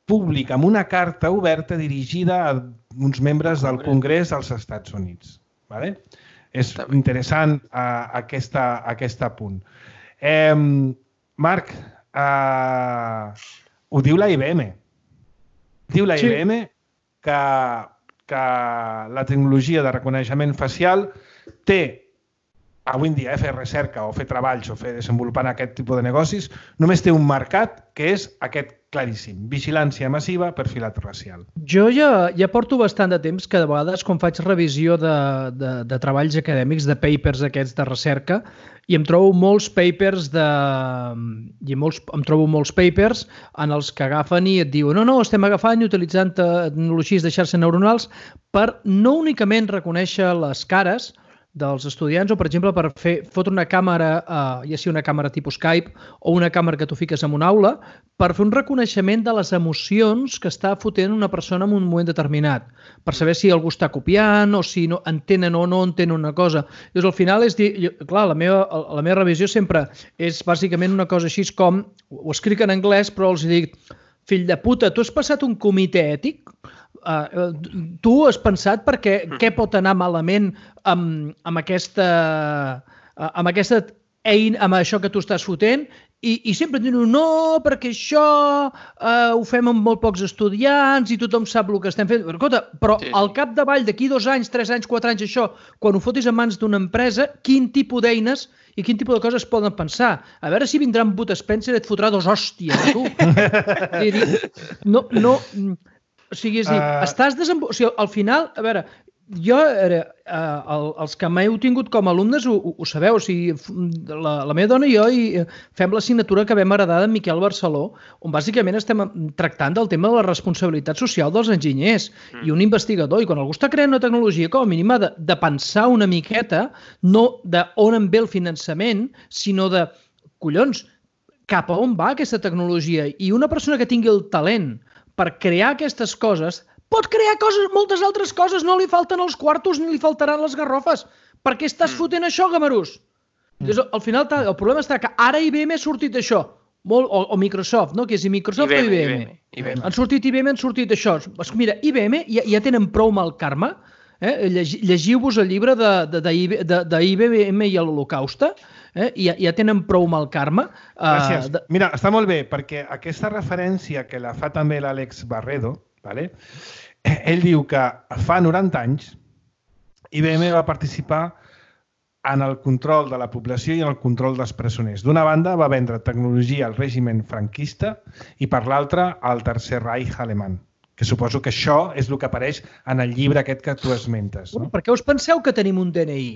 públic amb una carta oberta dirigida a uns membres del Congrés dels Estats Units. És interessant aquest punt. Marc, ho diu la IBM. Diu la IBM que la tecnologia de reconeixement facial té, avui en dia, fer recerca o fer treballs o fer desenvolupant aquest tipus de negocis, només té un mercat que és aquest claríssim, vigilància massiva, perfilat racial. Jo ja porto bastant de temps que de vegades quan faig revisió de treballs acadèmics, de papers aquests de recerca, i em trobo molts papers en els que agafen i et diuen no, estem agafant i utilitzant tecnologies de xarxes neuronals per no únicament reconèixer les cares dels estudiants o, per exemple, per fotre una càmera, ja sigui una càmera tipus Skype o una càmera que tu fiques en una aula, per fer un reconeixement de les emocions que està fotent una persona en un moment determinat, per saber si algú està copiant o si entenen o no entenen una cosa. Llavors, al final, és dir, clar, la meva revisió sempre és bàsicament una cosa així com, ho escric en anglès, però els dic, fill de puta, tu has passat un comitè ètic? Tu has pensat perquè què pot anar malament amb aquesta eina, amb això que tu estàs fotent? I sempre diuen, no, perquè això ho fem amb molt pocs estudiants i tothom sap el que estem fent. Però al capdavall d'aquí 2 anys, 3 anys, 4 anys, això, quan ho fotis en mans d'una empresa, quin tipus d'eines i quin tipus de coses poden pensar? A veure si vindrà en Bud Spencer i et fotrà 2 hòsties a tu. O sigui, estàs desenvolupant... O sigui, al final, a veure, jo, els que m'heu tingut com a alumnes ho sabeu, o sigui, la meva dona i jo fem l'assignatura que vam heredar d'en Miquel Barceló, on bàsicament estem tractant del tema de la responsabilitat social dels enginyers i un investigador, i quan algú està creant una tecnologia, com a mínim ha de pensar una miqueta, no d'on en ve el finançament, sinó de, collons, cap a on va aquesta tecnologia? I una persona que tingui el talent per crear aquestes coses, pot crear moltes altres coses, no li falten els quartos ni li faltaran les garrofes. Per què estàs fotent això, gamarús? Al final, el problema està que ara IBM ha sortit això, o Microsoft, no? Que és Microsoft o IBM? Han sortit IBM, han sortit això. Mira, IBM ja tenen prou mal karma. Llegiu-vos el llibre d'IBM i l'Holocauste, ja tenen prou mal karma. Gràcies. Mira, està molt bé, perquè aquesta referència que la fa també l'Àlex Barredo, ell diu que fa 90 anys IBM va participar en el control de la població i en el control dels presoners. D'una banda, va vendre tecnologia al règim franquista i per l'altra al Tercer Reich alemany. Que suposo que això és el que apareix en el llibre aquest que tu esmentes. Per què us penseu que tenim un DNI?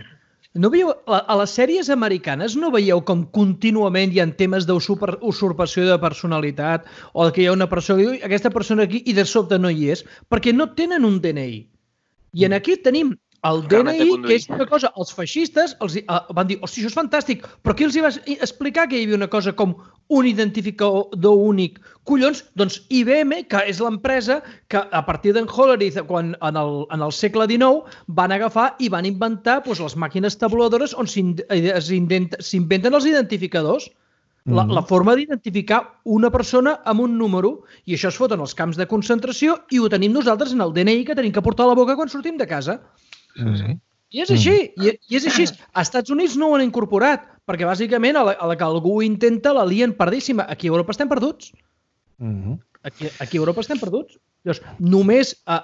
No veieu, a les sèries americanes no veieu com contínuament hi ha temes d'usurpació de personalitat o que hi ha una persona que diu aquesta persona aquí i de sobte no hi és? Perquè no tenen un DNI. I en aquí tenim el DNI, que és una cosa, els feixistes van dir, hosti, això és fantàstic, però qui els va explicar que hi havia una cosa com un identificador únic? Collons, doncs IBM, que és l'empresa que a partir d'en Hollerith, quan en el segle XIX, van agafar i van inventar les màquines tabuladores on s'inventen els identificadors. La forma d'identificar una persona amb un número, i això es fot en els camps de concentració i ho tenim nosaltres en el DNI que tenim que portar a la boca quan sortim de casa. I és així, i és així. Als Estats Units no ho han incorporat, perquè bàsicament a la que algú intenta la lien perdíssima. Aquí a Europa estem perduts. Aquí a Europa estem perduts. Només a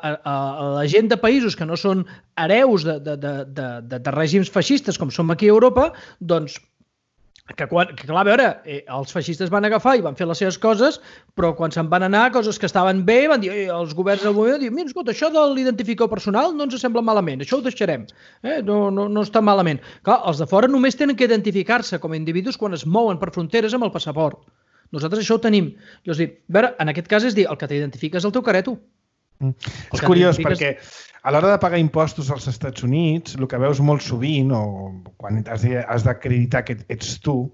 la gent de països que no són hereus de règims feixistes com som aquí a Europa, doncs que clar, a veure, els feixistes van agafar i van fer les seves coses, però quan se'n van anar, coses que estaven bé, van dir, els governs del moment diuen, mira, escolta, això de l'identificador personal no ens sembla malament, això ho deixarem, no està malament. Clar, els de fora només tenen que identificar-se com a individus quan es mouen per fronteres amb el passaport. Nosaltres això ho tenim. A veure, en aquest cas és dir, el que t'identifica és el teu careto. És curiós perquè a l'hora de pagar impostos als Estats Units, el que veus molt sovint, o quan has d'acreditar que ets tu,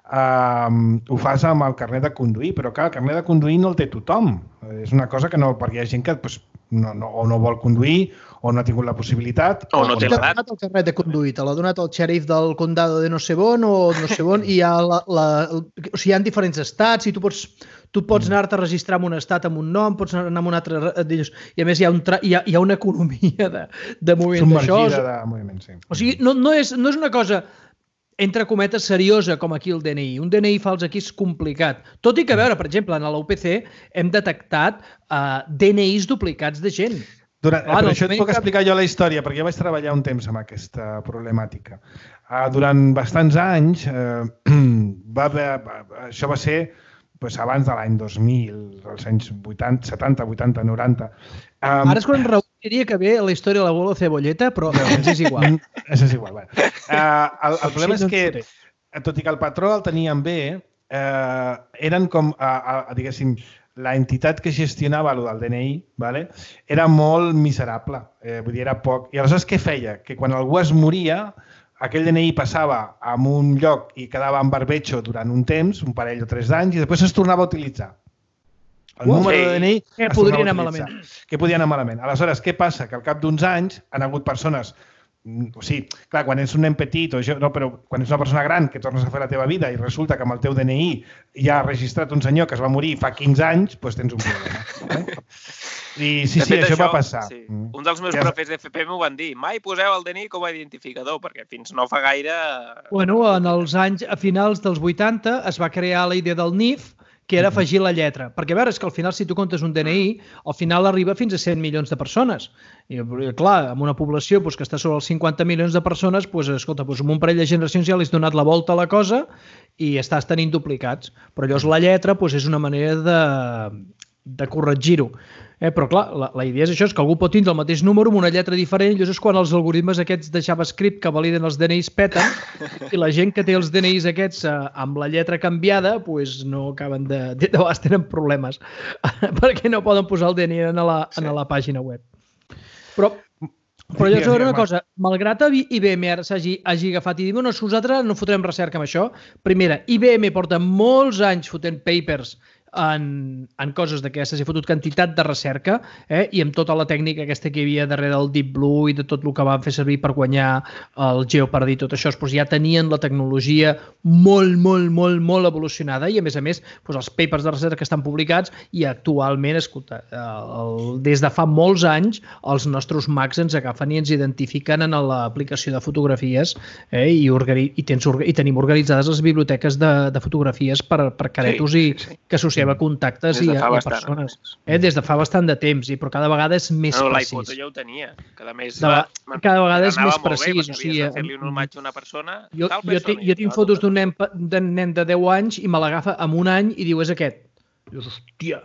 ho fas amb el carnet de conduir, però clar, el carnet de conduir no el té tothom. És una cosa que no, perquè hi ha gent que o no vol conduir, o no ha tingut la possibilitat... O no té l'edat. T'ha donat el carnet de conduir, te l'ha donat el xèrif del condado de no sé on, o no sé on, i hi ha diferents estats, i tu pots anar-te a registrar en un estat amb un nom, pots anar a un altre... I a més hi ha una economia de moviment d'això. Submergida de moviment, sí. O sigui, no és una cosa entre cometes seriosa com aquí el DNI. Un DNI fals aquí és complicat. Tot i que, a veure, per exemple, en l'UPC hem detectat DNIs duplicats de gent. Per això et puc explicar jo la història, perquè jo vaig treballar un temps amb aquesta problemàtica. Durant bastants anys, això va ser abans de l'any 2000, als anys 80, 70, 80, 90. Ara és quan Raül diria que ve la història de l'abuelo Cebolleta, però ens és igual. És igual. El problema és que, tot i que el patró el tenien bé, eren com, diguéssim, la entitat que gestionava el del DNI era molt miserable, vull dir, era poc. I aleshores què feia? Que quan algú es moria, aquell DNI passava a un lloc i quedava en barbecho durant un temps, un parell o 3 d'anys, i després es tornava a utilitzar. El número de DNI es tornava a utilitzar. Que podia anar malament. Aleshores, què passa? Que al cap d'uns anys han hagut persones... O sigui, clar, quan ets un nen petit, però quan ets una persona gran que tornes a fer la teva vida i resulta que amb el teu DNI ja ha registrat un senyor que es va morir fa 15 anys, doncs tens un problema. I sí, això va passar. Un dels meus profes d'FP m'ho van dir. Mai poseu el DNI com a identificador, perquè fins no fa gaire... Bueno, a finals dels 80 es va crear la idea del NIF, que era afegir la lletra. Perquè, a veure, és que al final, si tu comptes un DNI, al final arriba fins a 100 milions de persones. I, clar, amb una població que està sobre els 50 milions de persones, escolta, amb un parell de generacions ja li has donat la volta a la cosa i estàs tenint duplicats. Però llavors la lletra és una manera de corregir-ho. Però, clar, la idea és això, és que algú pot tindre el mateix número amb una lletra diferent, i llavors és quan els algoritmes aquests de JavaScript que validen els DNIs peten, i la gent que té els DNIs aquests amb la lletra canviada, no acaben de vegades tenen problemes, perquè no poden posar el DNI a la pàgina web. Però llavors, una cosa, malgrat IBM ara s'hagi agafat i dir, nosaltres no fotrem recerca amb això, primera, IBM porta molts anys fotent papers en coses d'aquestes, he fotut quantitat de recerca i amb tota la tècnica aquesta que hi havia darrere del Deep Blue i de tot el que van fer servir per guanyar el Jeopardy i tot això, ja tenien la tecnologia molt evolucionada i a més els papers de recerca estan publicats i actualment, escolta, des de fa molts anys els nostres Macs ens agafen i ens identifiquen en l'aplicació de fotografies i tenim organitzades les biblioteques de fotografies per caretos i que associem a contactes i a persones. Des de fa bastant de temps, però cada vegada és més precís. L'iPhoto ja ho tenia. Cada vegada és més precís. Havies de fer-li un homenatge a una persona. Jo tinc fotos d'un nen de 10 anys i me l'agafa en un any i diu, és aquest. Dius, hòstia,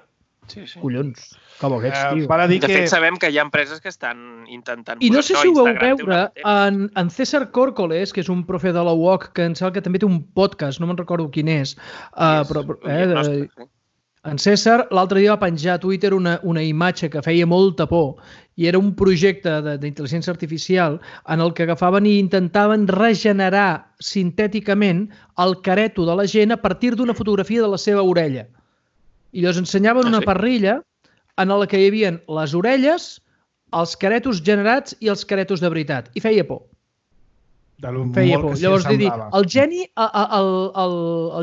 collons, com aquests, tio. De fet, sabem que hi ha empreses que estan intentant... I no sé si ho vau veure, en César Córcoles, que és un profe de la UOC, que em sembla que també té un podcast, no me'n recordo quin és, en César l'altre dia va penjar a Twitter una imatge que feia molta por i era un projecte d'intel·ligència artificial en el que agafaven i intentaven regenerar sintèticament el careto de la gent a partir d'una fotografia de la seva orella. I llavors ensenyaven una parrilla en la que hi havia les orelles, els caretos generats i els caretos de veritat. I feia por. Feia por. Llavors, el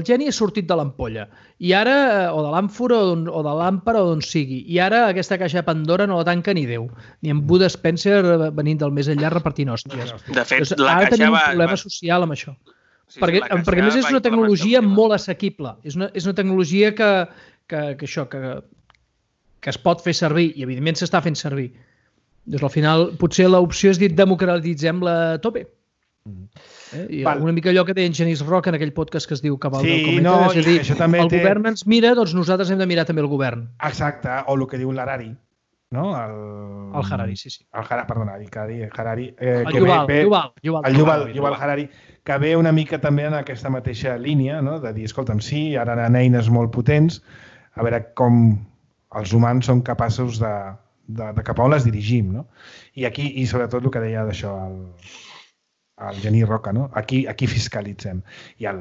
geni ha sortit de l'ampolla i ara, o de l'àmfora o de l'àmpara o d'on sigui, i ara aquesta caixa de Pandora no la tanca ni Déu, ni en Bud Spencer venint del més enllà repartint hòsties. De fet, la caixa tenim un problema social amb això. Perquè a més és una tecnologia molt assequible. És una tecnologia que es pot fer servir i evidentment s'està fent servir. Doncs al final potser l'opció és dir democratitzem-la a tope. I una mica allò que deia en Genís Roca en aquell podcast que es diu Cabal del Cometa, és a dir, el govern ens mira, doncs nosaltres hem de mirar també el govern. Exacte, o el que diu l'Harari, no? El Harari, sí. Perdona, el Harari. El Yuval Harari, que ve una mica també en aquesta mateixa línia, de dir, escolta'm, sí, ara hi ha eines molt potents, a veure com els humans són capaços de cap a on les dirigim, no? I aquí, i sobretot el que deia d'això el Genís Roca, no? Aquí fiscalitzem. I el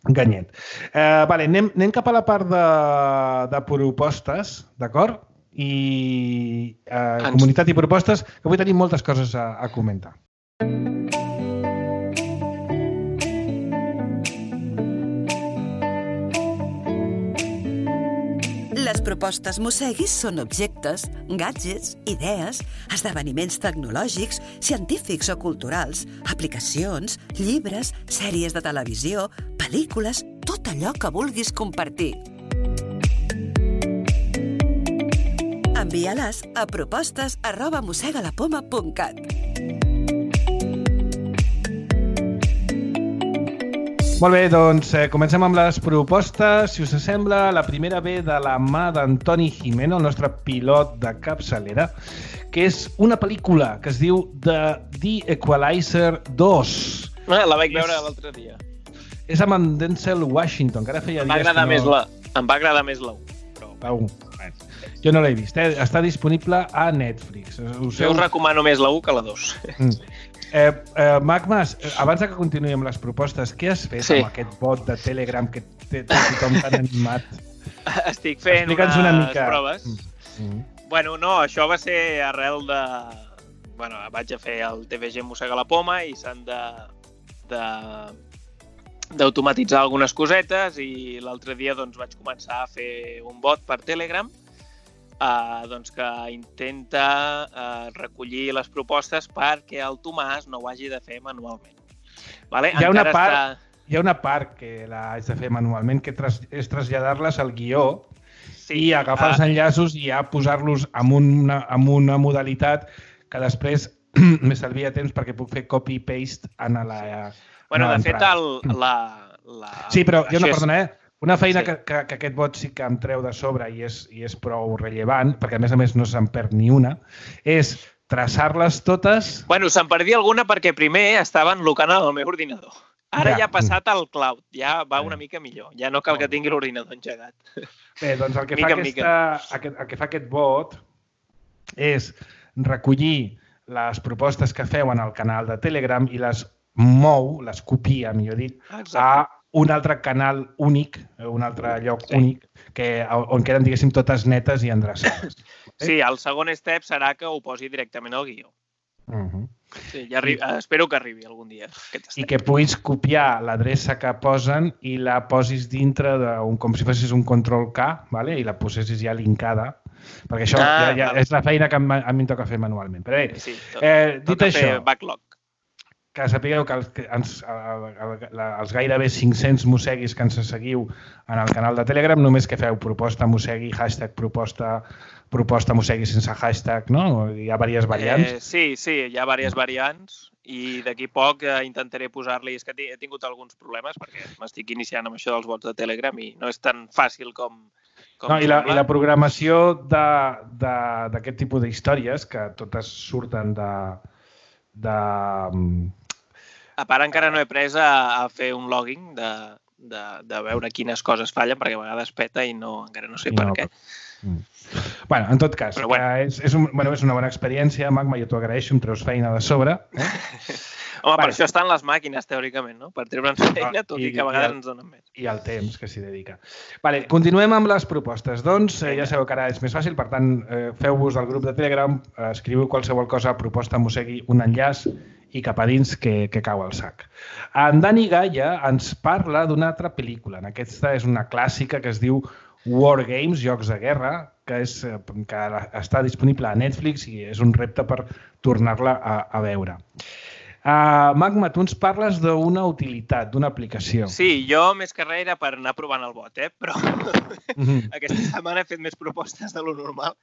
Ganyet. Vale, anem cap a la part de propostes, d'acord? I comunitat i propostes, que avui tenim moltes coses a comentar. Les propostes Mosseguis són objectes, gadgets, idees, esdeveniments tecnològics, científics o culturals, aplicacions, llibres, sèries de televisió, pel·lícules, tot allò que vulguis compartir. Envia-les a propostes@mossegalapoma.cat. Molt bé, doncs comencem amb les propostes. Si us sembla, la primera ve de la mà d'Antoni Gimeno, el nostre pilot de capçalera, que és una pel·lícula que es diu The Equalizer 2. La vaig veure l'altre dia. És amb en Denzel Washington, que ara feia dies que no... Em va agradar més la 1. La 1. Jo no l'he vist, Està disponible a Netflix. Jo us recomano més la 1 que la 2. Magmas, abans que continuï amb les propostes, què has fet amb aquest bot de Telegram que té tothom tan animat? Estic fent unes proves. Bueno, no, això va ser arrel de... Bueno, vaig a fer el TVG Mossega la Poma i s'han d'automatitzar algunes cosetes i l'altre dia doncs, vaig començar a fer un bot per Telegram doncs que intenta recollir les propostes perquè el Tomàs no ho hagi de fer manualment. Vale? Hi ha una part que l'haig de fer manualment, que és traslladar-les al guió i agafar els enllaços i ja posar-los en una modalitat que després m'estalvia temps perquè puc fer copy-paste en la... Bueno, de fet, Sí, però jo no, perdona, una feina que aquest bot sí que em treu de sobre i és prou rellevant, perquè a més no se'n perd ni una, és traçar-les totes... Bueno, se'n perdia alguna perquè primer estava enlocant al meu ordinador. Ara ja ha passat al cloud, ja va una mica millor. Ja no cal que tingui l'ordinador engegat. Bé, doncs el que fa aquest bot és recollir les propostes que feu en el canal de Telegram i les mou, les copia, millor dit, a un altre canal únic, un altre lloc únic, on queden, diguéssim, totes netes i endreçades. Sí, el segon step serà que ho posi directament al guió. Sí, espero que arribi algun dia. I que puguis copiar l'adreça que posen i la posis dintre com si fessis un control-K i la posessis ja linkada, perquè això ja és la feina que a mi em toca fer manualment. Però bé, dit això, que sapigueu que els gairebé 500 mosseguis que ens seguiu en el canal de Telegram, només que feu proposta mossegui, hashtag proposta mossegui sense hashtag, no? Hi ha diverses variants. Sí, hi ha diverses variants i d'aquí poc intentaré posar-li... És que he tingut alguns problemes perquè m'estic iniciant amb això dels bots de Telegram i no és tan fàcil com I la programació d'aquest tipus d'històries, que totes surten de... A part, encara no he pres a fer un logging de veure quines coses fallen, perquè a vegades peta i encara no sé per què. Bueno, en tot cas, és una bona experiència, Magma, jo t'ho agraeixo, em treus feina de sobre. Home, per això estan les màquines, teòricament, no? Per treure'ns feina, tot i que a vegades ens donen més. I el temps que s'hi dedica. Continuem amb les propostes. Doncs ja sabeu que ara és més fàcil, per tant, feu-vos al grup de Telegram, escriviu qualsevol cosa, proposta mossegui, un enllaç i cap a dins que cau al sac. En Dani Gaia ens parla d'una altra pel·lícula. Aquesta és una clàssica que es diu War Games, Jocs de Guerra, que està disponible a Netflix i és un repte per tornar-la a veure. Magma, tu ens parles d'una utilitat, d'una aplicació. Sí, jo més que res era per anar provant el bot, però aquesta setmana he fet més propostes de lo normal.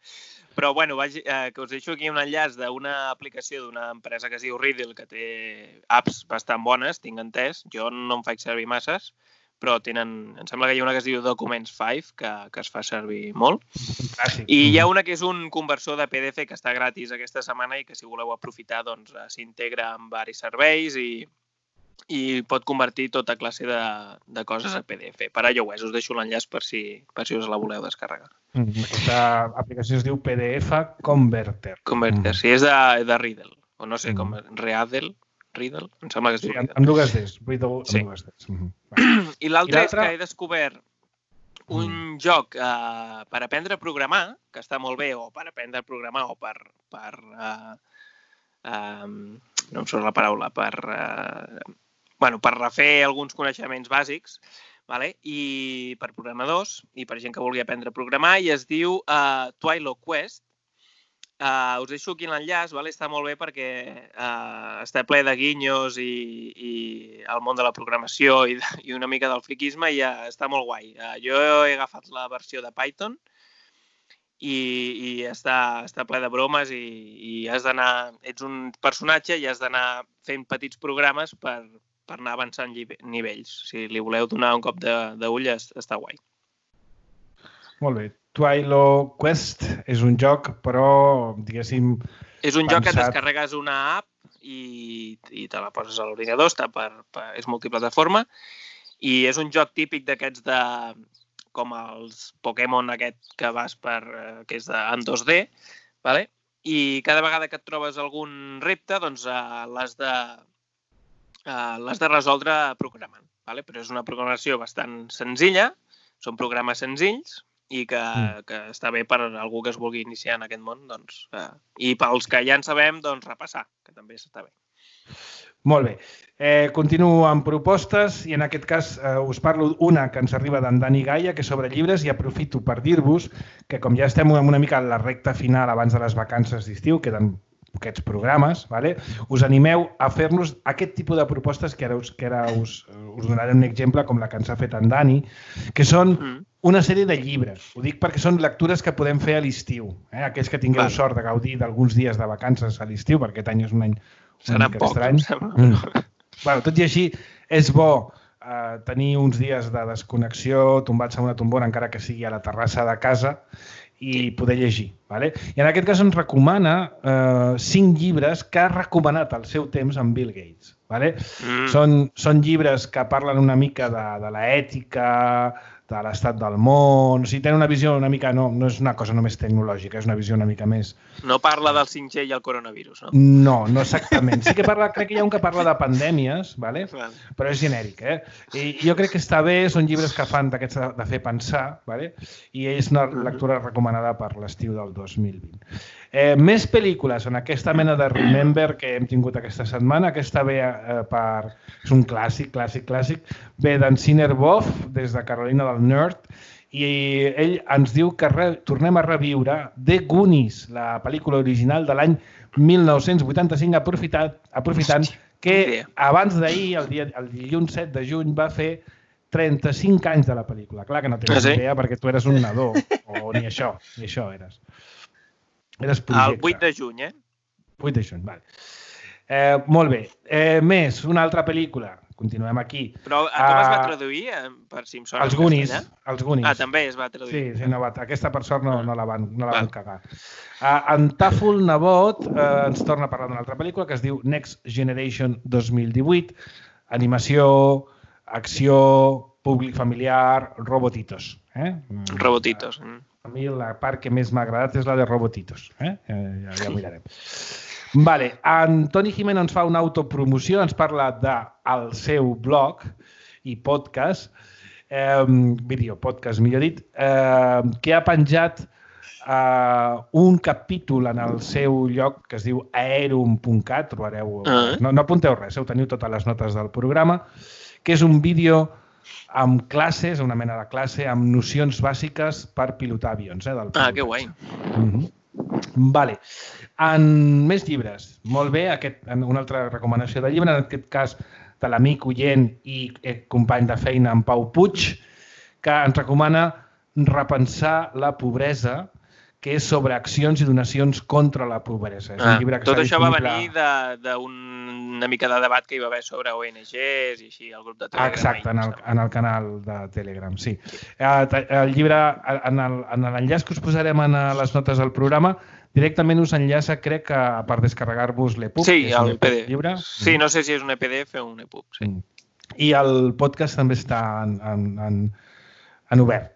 Però, bueno, que us deixo aquí un enllaç d'una aplicació d'una empresa que es diu Riddle, que té apps bastant bones, tinc entès. Jo no en faig servir masses, però em sembla que hi ha una que es diu Documents 5, que es fa servir molt. I hi ha una que és un conversor de PDF que està gratis aquesta setmana i que si voleu aprofitar, doncs s'integra amb diversos serveis i pot convertir tota classe de coses a PDF. Per iOS, us deixo l'enllaç per si us la voleu descarregar. Aquesta aplicació es diu PDF Converter. Converter, sí, és de Riddle, o no sé com, Riddle, em sembla que es diu Riddle. Amb dues Ds, Riddle amb dues Ds. I l'altre és que he descobert un joc per aprendre a programar, que està molt bé, o per aprendre a programar, o per no em surt la paraula, per refer alguns coneixements bàsics, i per programadors, i per gent que vulgui aprendre a programar, i es diu Twilo Quest. Us deixo aquí l'enllaç, està molt bé perquè està ple de guinyos i el món de la programació i una mica del friquisme i està molt guai. Jo he agafat la versió de Python i està ple de bromes i has d'anar, ets un personatge i has d'anar fent petits programes per anar avançant nivells. Si li voleu donar un cop d'ull, està guai. Molt bé. Twilo Quest és un joc, però, diguéssim... És un joc que et descarregues una app i te la poses a l'ordinador, és multiplataforma, i és un joc típic d'aquests com els Pokémon aquest que vas que és en 2D, i cada vegada que et trobes algun repte, doncs l'has de resoldre programant. Però és una programació bastant senzilla, són programes senzills, i que està bé per algú que es vulgui iniciar en aquest món, i pels que ja en sabem, repassar, que també està bé. Molt bé. Continuo amb propostes i en aquest cas us parlo una que ens arriba d'en Dani Gaia, que és sobre llibres, i aprofito per dir-vos que com ja estem una mica a la recta final abans de les vacances d'estiu, queden aquests programes, us animeu a fer-nos aquest tipus de propostes que ara us donaré un exemple com la que ens ha fet en Dani, que són una sèrie de llibres. Ho dic perquè són lectures que podem fer a l'estiu. Aquells que tingueu sort de gaudir d'alguns dies de vacances a l'estiu, perquè aquest any és un any una mica estrany. Tot i així, és bo tenir uns dies de desconnexió, tombats a una tombona, encara que sigui a la terrassa de casa, i poder llegir. I en aquest cas ens recomana 5 llibres que ha recomanat al seu temps en Bill Gates. Són llibres que parlen una mica de l'ètica, de l'estat del món, o sigui, tenen una visió una mica, no és una cosa només tecnològica, és una visió una mica més... No parla del 5G i el coronavirus, no? No exactament. Sí que parla, crec que hi ha un que parla de pandèmies, però és genèric, I jo crec que està bé, són llibres que fan d'aquests de fer pensar, i és una lectura recomanada per l'estiu del 2020. Més pel·lícules en aquesta mena de Remember que hem tingut aquesta setmana. Aquesta ve és un clàssic, ve d'en Sinner Boff, des de Carolina del Nord, i ell ens diu que tornem a reviure The Goonies, la pel·lícula original de l'any 1985, aprofitant que abans d'ahir, el dilluns 7 de juny, va fer 35 anys de la pel·lícula. Clar que no tens idea perquè tu eres un nadó, o ni això eres. Eres projecte. El 8 de juny, 8 de juny, vale. Molt bé. Més, una altra pel·lícula. Continuem aquí. Però com es va traduir, per si em sona? Els Goonies. També es va traduir. Sí, aquesta per sort no la van cagar. En Tàfol Nebot ens torna a parlar d'una altra pel·lícula que es diu Next Generation 2018. Animació, acció, públic familiar, robotitos. Robotitos. A mi la part que més m'ha agradat és la de robotitos. Ja ho mirarem. Vale. En Toni Jimeno ens fa una autopromoció, ens parla del seu blog i podcast, videopodcast, millor dit, que ha penjat un capítol en el seu lloc que es diu aerum.cat, trobareu, no apunteu res, ho teniu totes les notes del programa, que és un vídeo amb classes, una mena de classe, amb nocions bàsiques per pilotar avions. Que guai. Vale. En més llibres. Molt bé, una altra recomanació de llibre, en aquest cas de l'amic oient i company de feina, en Pau Puig, que ens recomana repensar la pobresa, que és sobre accions i donacions contra la pobresa. Tot això va venir d'una mica de debat que hi va haver sobre ONGs i així, el grup de Telegram. Exacte, en el canal de Telegram, sí. El llibre, en l'enllaç que us posarem a les notes del programa, directament us enllaça, crec que per descarregar-vos l'EPUB. Sí, el PDF. Lliure. Sí, no sé si és un PDF o un EPUB, sí. I el podcast també està en obert.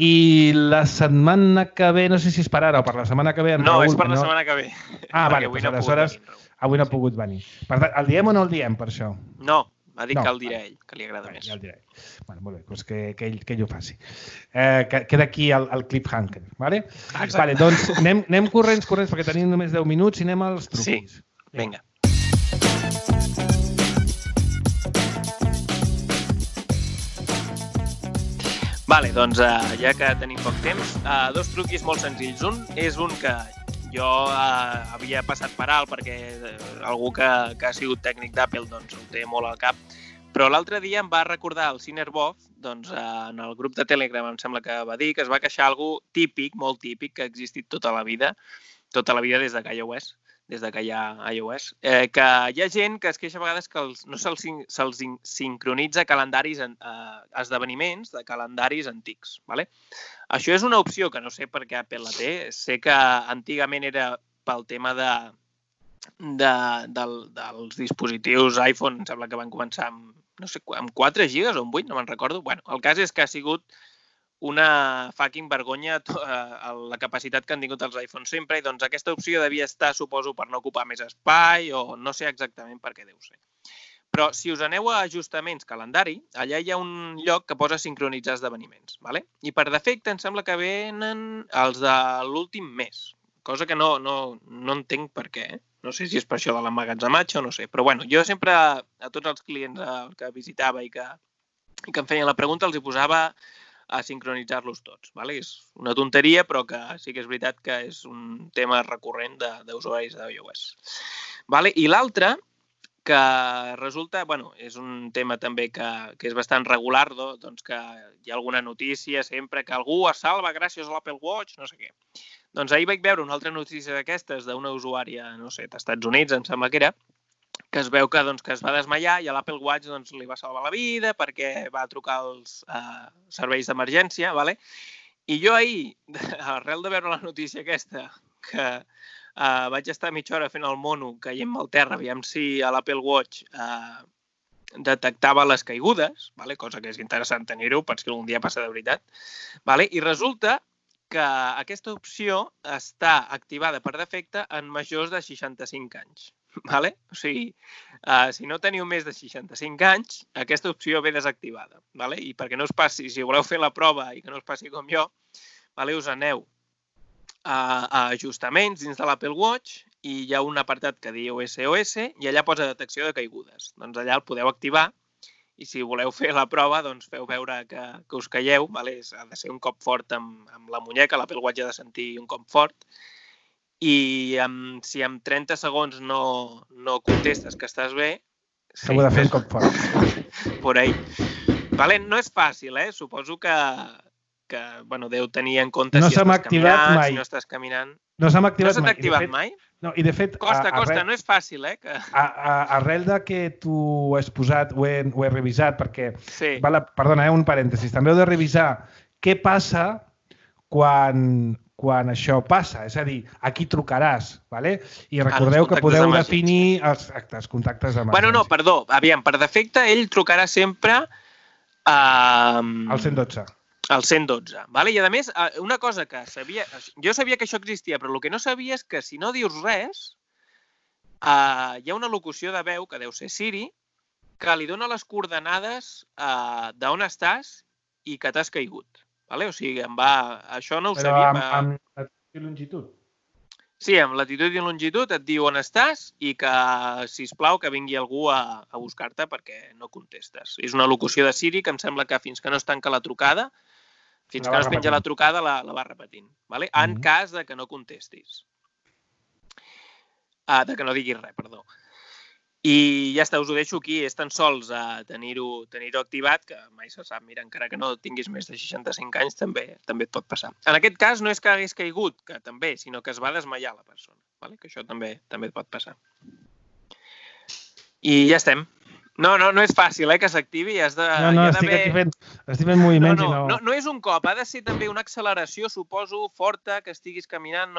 I la setmana que ve, no sé si és per ara o per la setmana que ve... No, és per la setmana que ve. Vale, doncs aleshores avui no ha pogut venir. Per tant, el diem o no el diem, per això? No, va dir que el dirà ell, que li agrada més. Ja el diré. Bueno, molt bé, doncs que ell ho faci. Queda aquí el cliffhanger, vale? Vale, doncs anem corrents, perquè tenim només 10 minuts i anem als truquis. Sí, vinga. Vale, doncs ja que tenim poc temps, dos truquis molt senzills. Un és un que jo havia passat per alt perquè algú que ha sigut tècnic d'Apple doncs ho té molt al cap, però l'altre dia em va recordar el Cinerbov, doncs en el grup de Telegram em sembla que va dir que es va queixar algo típic, molt típic, que ha existit tota la vida des de iOS, des de que hi ha iOS, que hi ha gent que es queixa a vegades que no se'ls sincronitza calendaris, esdeveniments de calendaris antics. Vale? Això és una opció que no sé per què Apple la té. Sé que antigament era pel tema dels dispositius iPhone, em sembla que van començar amb, no sé, amb 4 gigas o amb 8, no me'n recordo. Bueno, el cas és que ha sigut una fucking vergonya la capacitat que han tingut els iPhones sempre i doncs aquesta opció devia estar, suposo, per no ocupar més espai o no sé exactament per què deu ser. Però si us aneu a ajustaments calendari, allà hi ha un lloc que posa sincronitzar esdeveniments. Vale? I per defecte em sembla que venen els de l'últim mes, cosa que no entenc per què. No sé si és per això de l'emmagatzematge o no sé. Però bueno, jo sempre a tots els clients que visitava i que em feien la pregunta els hi posava a sincronitzar-los tots. Vale? És una tonteria, però que sí que és veritat que és un tema recurrent d'usuaris d'iOS. Vale? I l'altre, que resulta, bueno, és un tema també que és bastant regular, doncs que hi ha alguna notícia sempre que algú es salva gràcies a l'Apple Watch, no sé què. Doncs ahir vaig veure una altra notícia d'aquestes d'una usuària, no sé, d'Estats Units, em sembla que era, que es veu que es va desmaiar i a l'Apple Watch li va salvar la vida perquè va trucar als serveis d'emergència. Vale? I jo ahir, arrel de veure la notícia aquesta, que vaig estar mitja hora fent el mono caient-me al terra, aviam si a l'Apple Watch detectava les caigudes, vale? Cosa que és interessant tenir-ho, per si algun dia passa de veritat. Vale? I resulta que aquesta opció està activada per defecte en majors de 65 anys. Vale? O sigui, si no teniu més de 65 anys, aquesta opció ve desactivada. Vale? I perquè no us passi, si voleu fer la prova i que no us passi com jo, vale? Us aneu a ajustaments dins de l'Apple Watch i hi ha un apartat que diu SOS i allà posa detecció de caigudes. Doncs allà el podeu activar i si voleu fer la prova, doncs feu veure que us caieu. Vale? Ha de ser un cop fort amb la muñeca, l'Apple Watch ha de sentir un cop fort. I si en 30 segons no contestes que estàs bé... S'ho ha de fer un cop fort. Por ahí. Vale? No és fàcil, Suposo que deu tenir en compte si estàs caminant, si no estàs caminant... No s'ha activat mai. No s'ha activat mai? No, i de fet... Costa, no és fàcil, Arrel de que tu ho has posat, ho he revisat, perquè... Sí. Perdona, un parèntesis. També heu de revisar què passa quan això passa, és a dir, a qui trucaràs, ¿vale? I recordeu que podeu definir els contactes d'emergència. Bueno, no, perdó, aviam, per defecte ell trucarà sempre al 112. Al 112, ¿vale? I a més, una cosa que jo sabia que això existia, però el que no sabia és que si no dius res, hi ha una locució de veu, que deu ser Siri, que li dona les coordenades d'on estàs i que t'has caigut. Vale? O sigui, això no ho sabia. Però amb latitud i longitud? Sí, amb latitud i longitud et diu on estàs i que, sisplau, que vingui algú a buscar-te perquè no contestes. És una locució de Siri que em sembla que fins que no es tanca la trucada, fins que no es penja la trucada, la va repetint. Vale? En cas de que no contestis. De que no diguis res, perdó. I ja està, us ho deixo aquí. És tan sols tenir-ho activat, que mai se sap. Mira, encara que no tinguis més de 65 anys, també et pot passar. En aquest cas no és que hagués caigut, que també, sinó que es va desmaiar la persona. Vale? Que això també et pot passar. I ja estem. No és fàcil, que s'activi. No, estic fent moviments i no... No és un cop, ha de ser també una acceleració, suposo, forta, que estiguis caminant,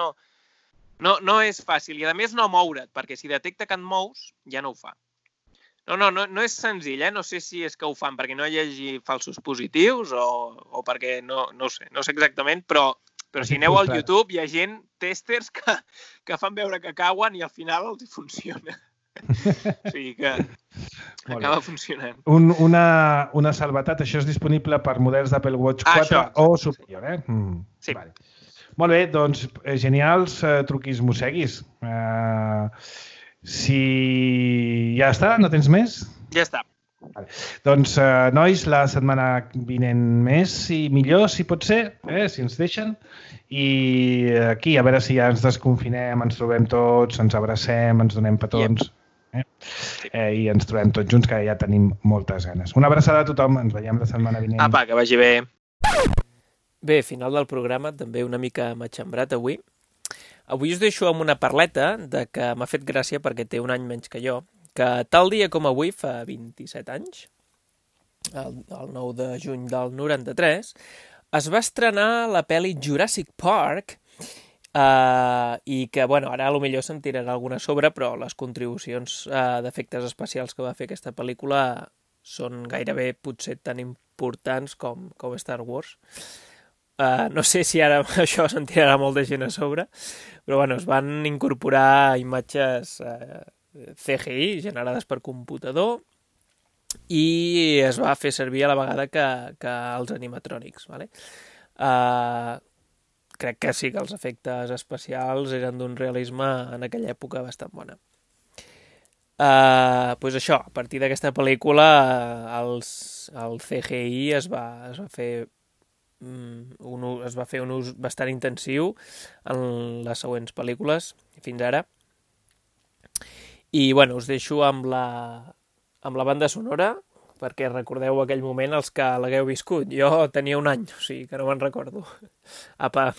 no és fàcil. I a més no moure't, perquè si detecta que et mous, ja no ho fa. No és senzill, no sé si és que ho fan perquè no hi hagi falsos positius o perquè no sé exactament, però si aneu al YouTube hi ha gent, testers, que fan veure que cauen i al final els hi funciona. O sigui que acaba funcionant. Una salvetat, això és disponible per models d'Apple Watch 4 o superior, Sí. Vale. Molt bé, doncs genials truquis mosseguis. Si ja està, no tens més? Ja està. Vale. Doncs, nois, la setmana vinent més i millor, si pot ser, si ens deixen. I aquí, a veure si ja ens desconfinem, ens trobem tots, ens abracem, ens donem petons. I ens trobem tots junts, que ja tenim moltes ganes. Una abraçada a tothom, ens veiem la setmana vinent. Apa, que vagi bé. Bé, final del programa, també una mica matxembrat avui. Avui us deixo amb una parleta de que m'ha fet gràcia perquè té un any menys que jo, que tal dia com avui, fa 27 anys, el 9 de juny del 93, es va estrenar la pel·li Jurassic Park i que, bueno, ara potser se'n tirarà alguna sobre, però les contribucions d'efectes especials que va fer aquesta pel·lícula són gairebé potser tan importants com Star Wars. No sé si ara això se'n tirarà molta gent a sobre, però bueno, es van incorporar imatges CGI generades per computador i es va fer servir a la vegada que els animatrònics. Vale? Crec que sí que els efectes especials eren d'un realisme en aquella època bastant bona. Pues això, a partir d'aquesta pel·lícula el CGI es va fer un ús bastant intensiu en les següents pel·lícules fins ara. I bueno, us deixo amb la banda sonora perquè recordeu aquell moment els que l'hagueu viscut. Jo tenia un any, o sigui que no me'n recordo. Apa!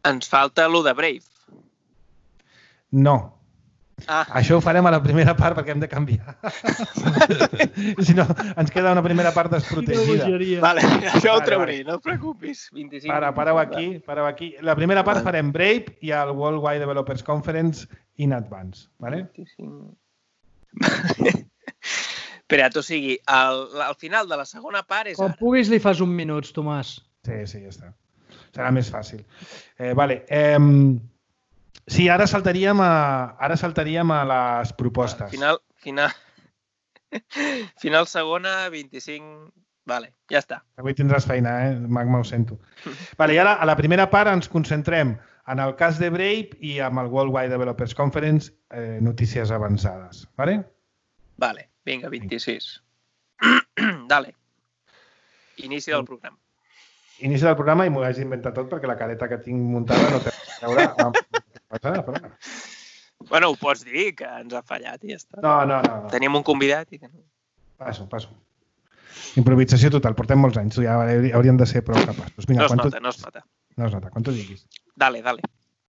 Ens falta lo de Brave. No. Ah. Això ho farem a la primera part perquè hem de canviar. Si no, ens queda una primera part desprotegida. Vale, això ho trauré, no et preocupis. 25. Pareu aquí. La primera part farem Brave i el Worldwide Developers Conference in advance. Vale? 25. Espera't, o sigui, al final de la segona part és Quan ara. puguis li fas un minut, Tomàs. Sí, ja està. Serà més fàcil. Vale. Sí, ara saltaríem a les propostes. Final segona, 25... Vale, ja està. Avui tindràs feina, Magma, ho sento. Vale, i ara, a la primera part, ens concentrem en el cas de Brave i amb el Worldwide Developers Conference, notícies avançades. Vale? Vale, vinga, 26. Dale. Inici del programa. Inici del programa i m'ho hagi inventat tot perquè la careta que tinc muntada no té a veure. Bueno, ho pots dir, que ens ha fallat i ja està. No. Tenim un convidat i que no. Passo. Improvisació total, portem molts anys, ja hauríem de ser prou capaços. Vinga, no es nota. No es nota, quan tu diguis. Dale.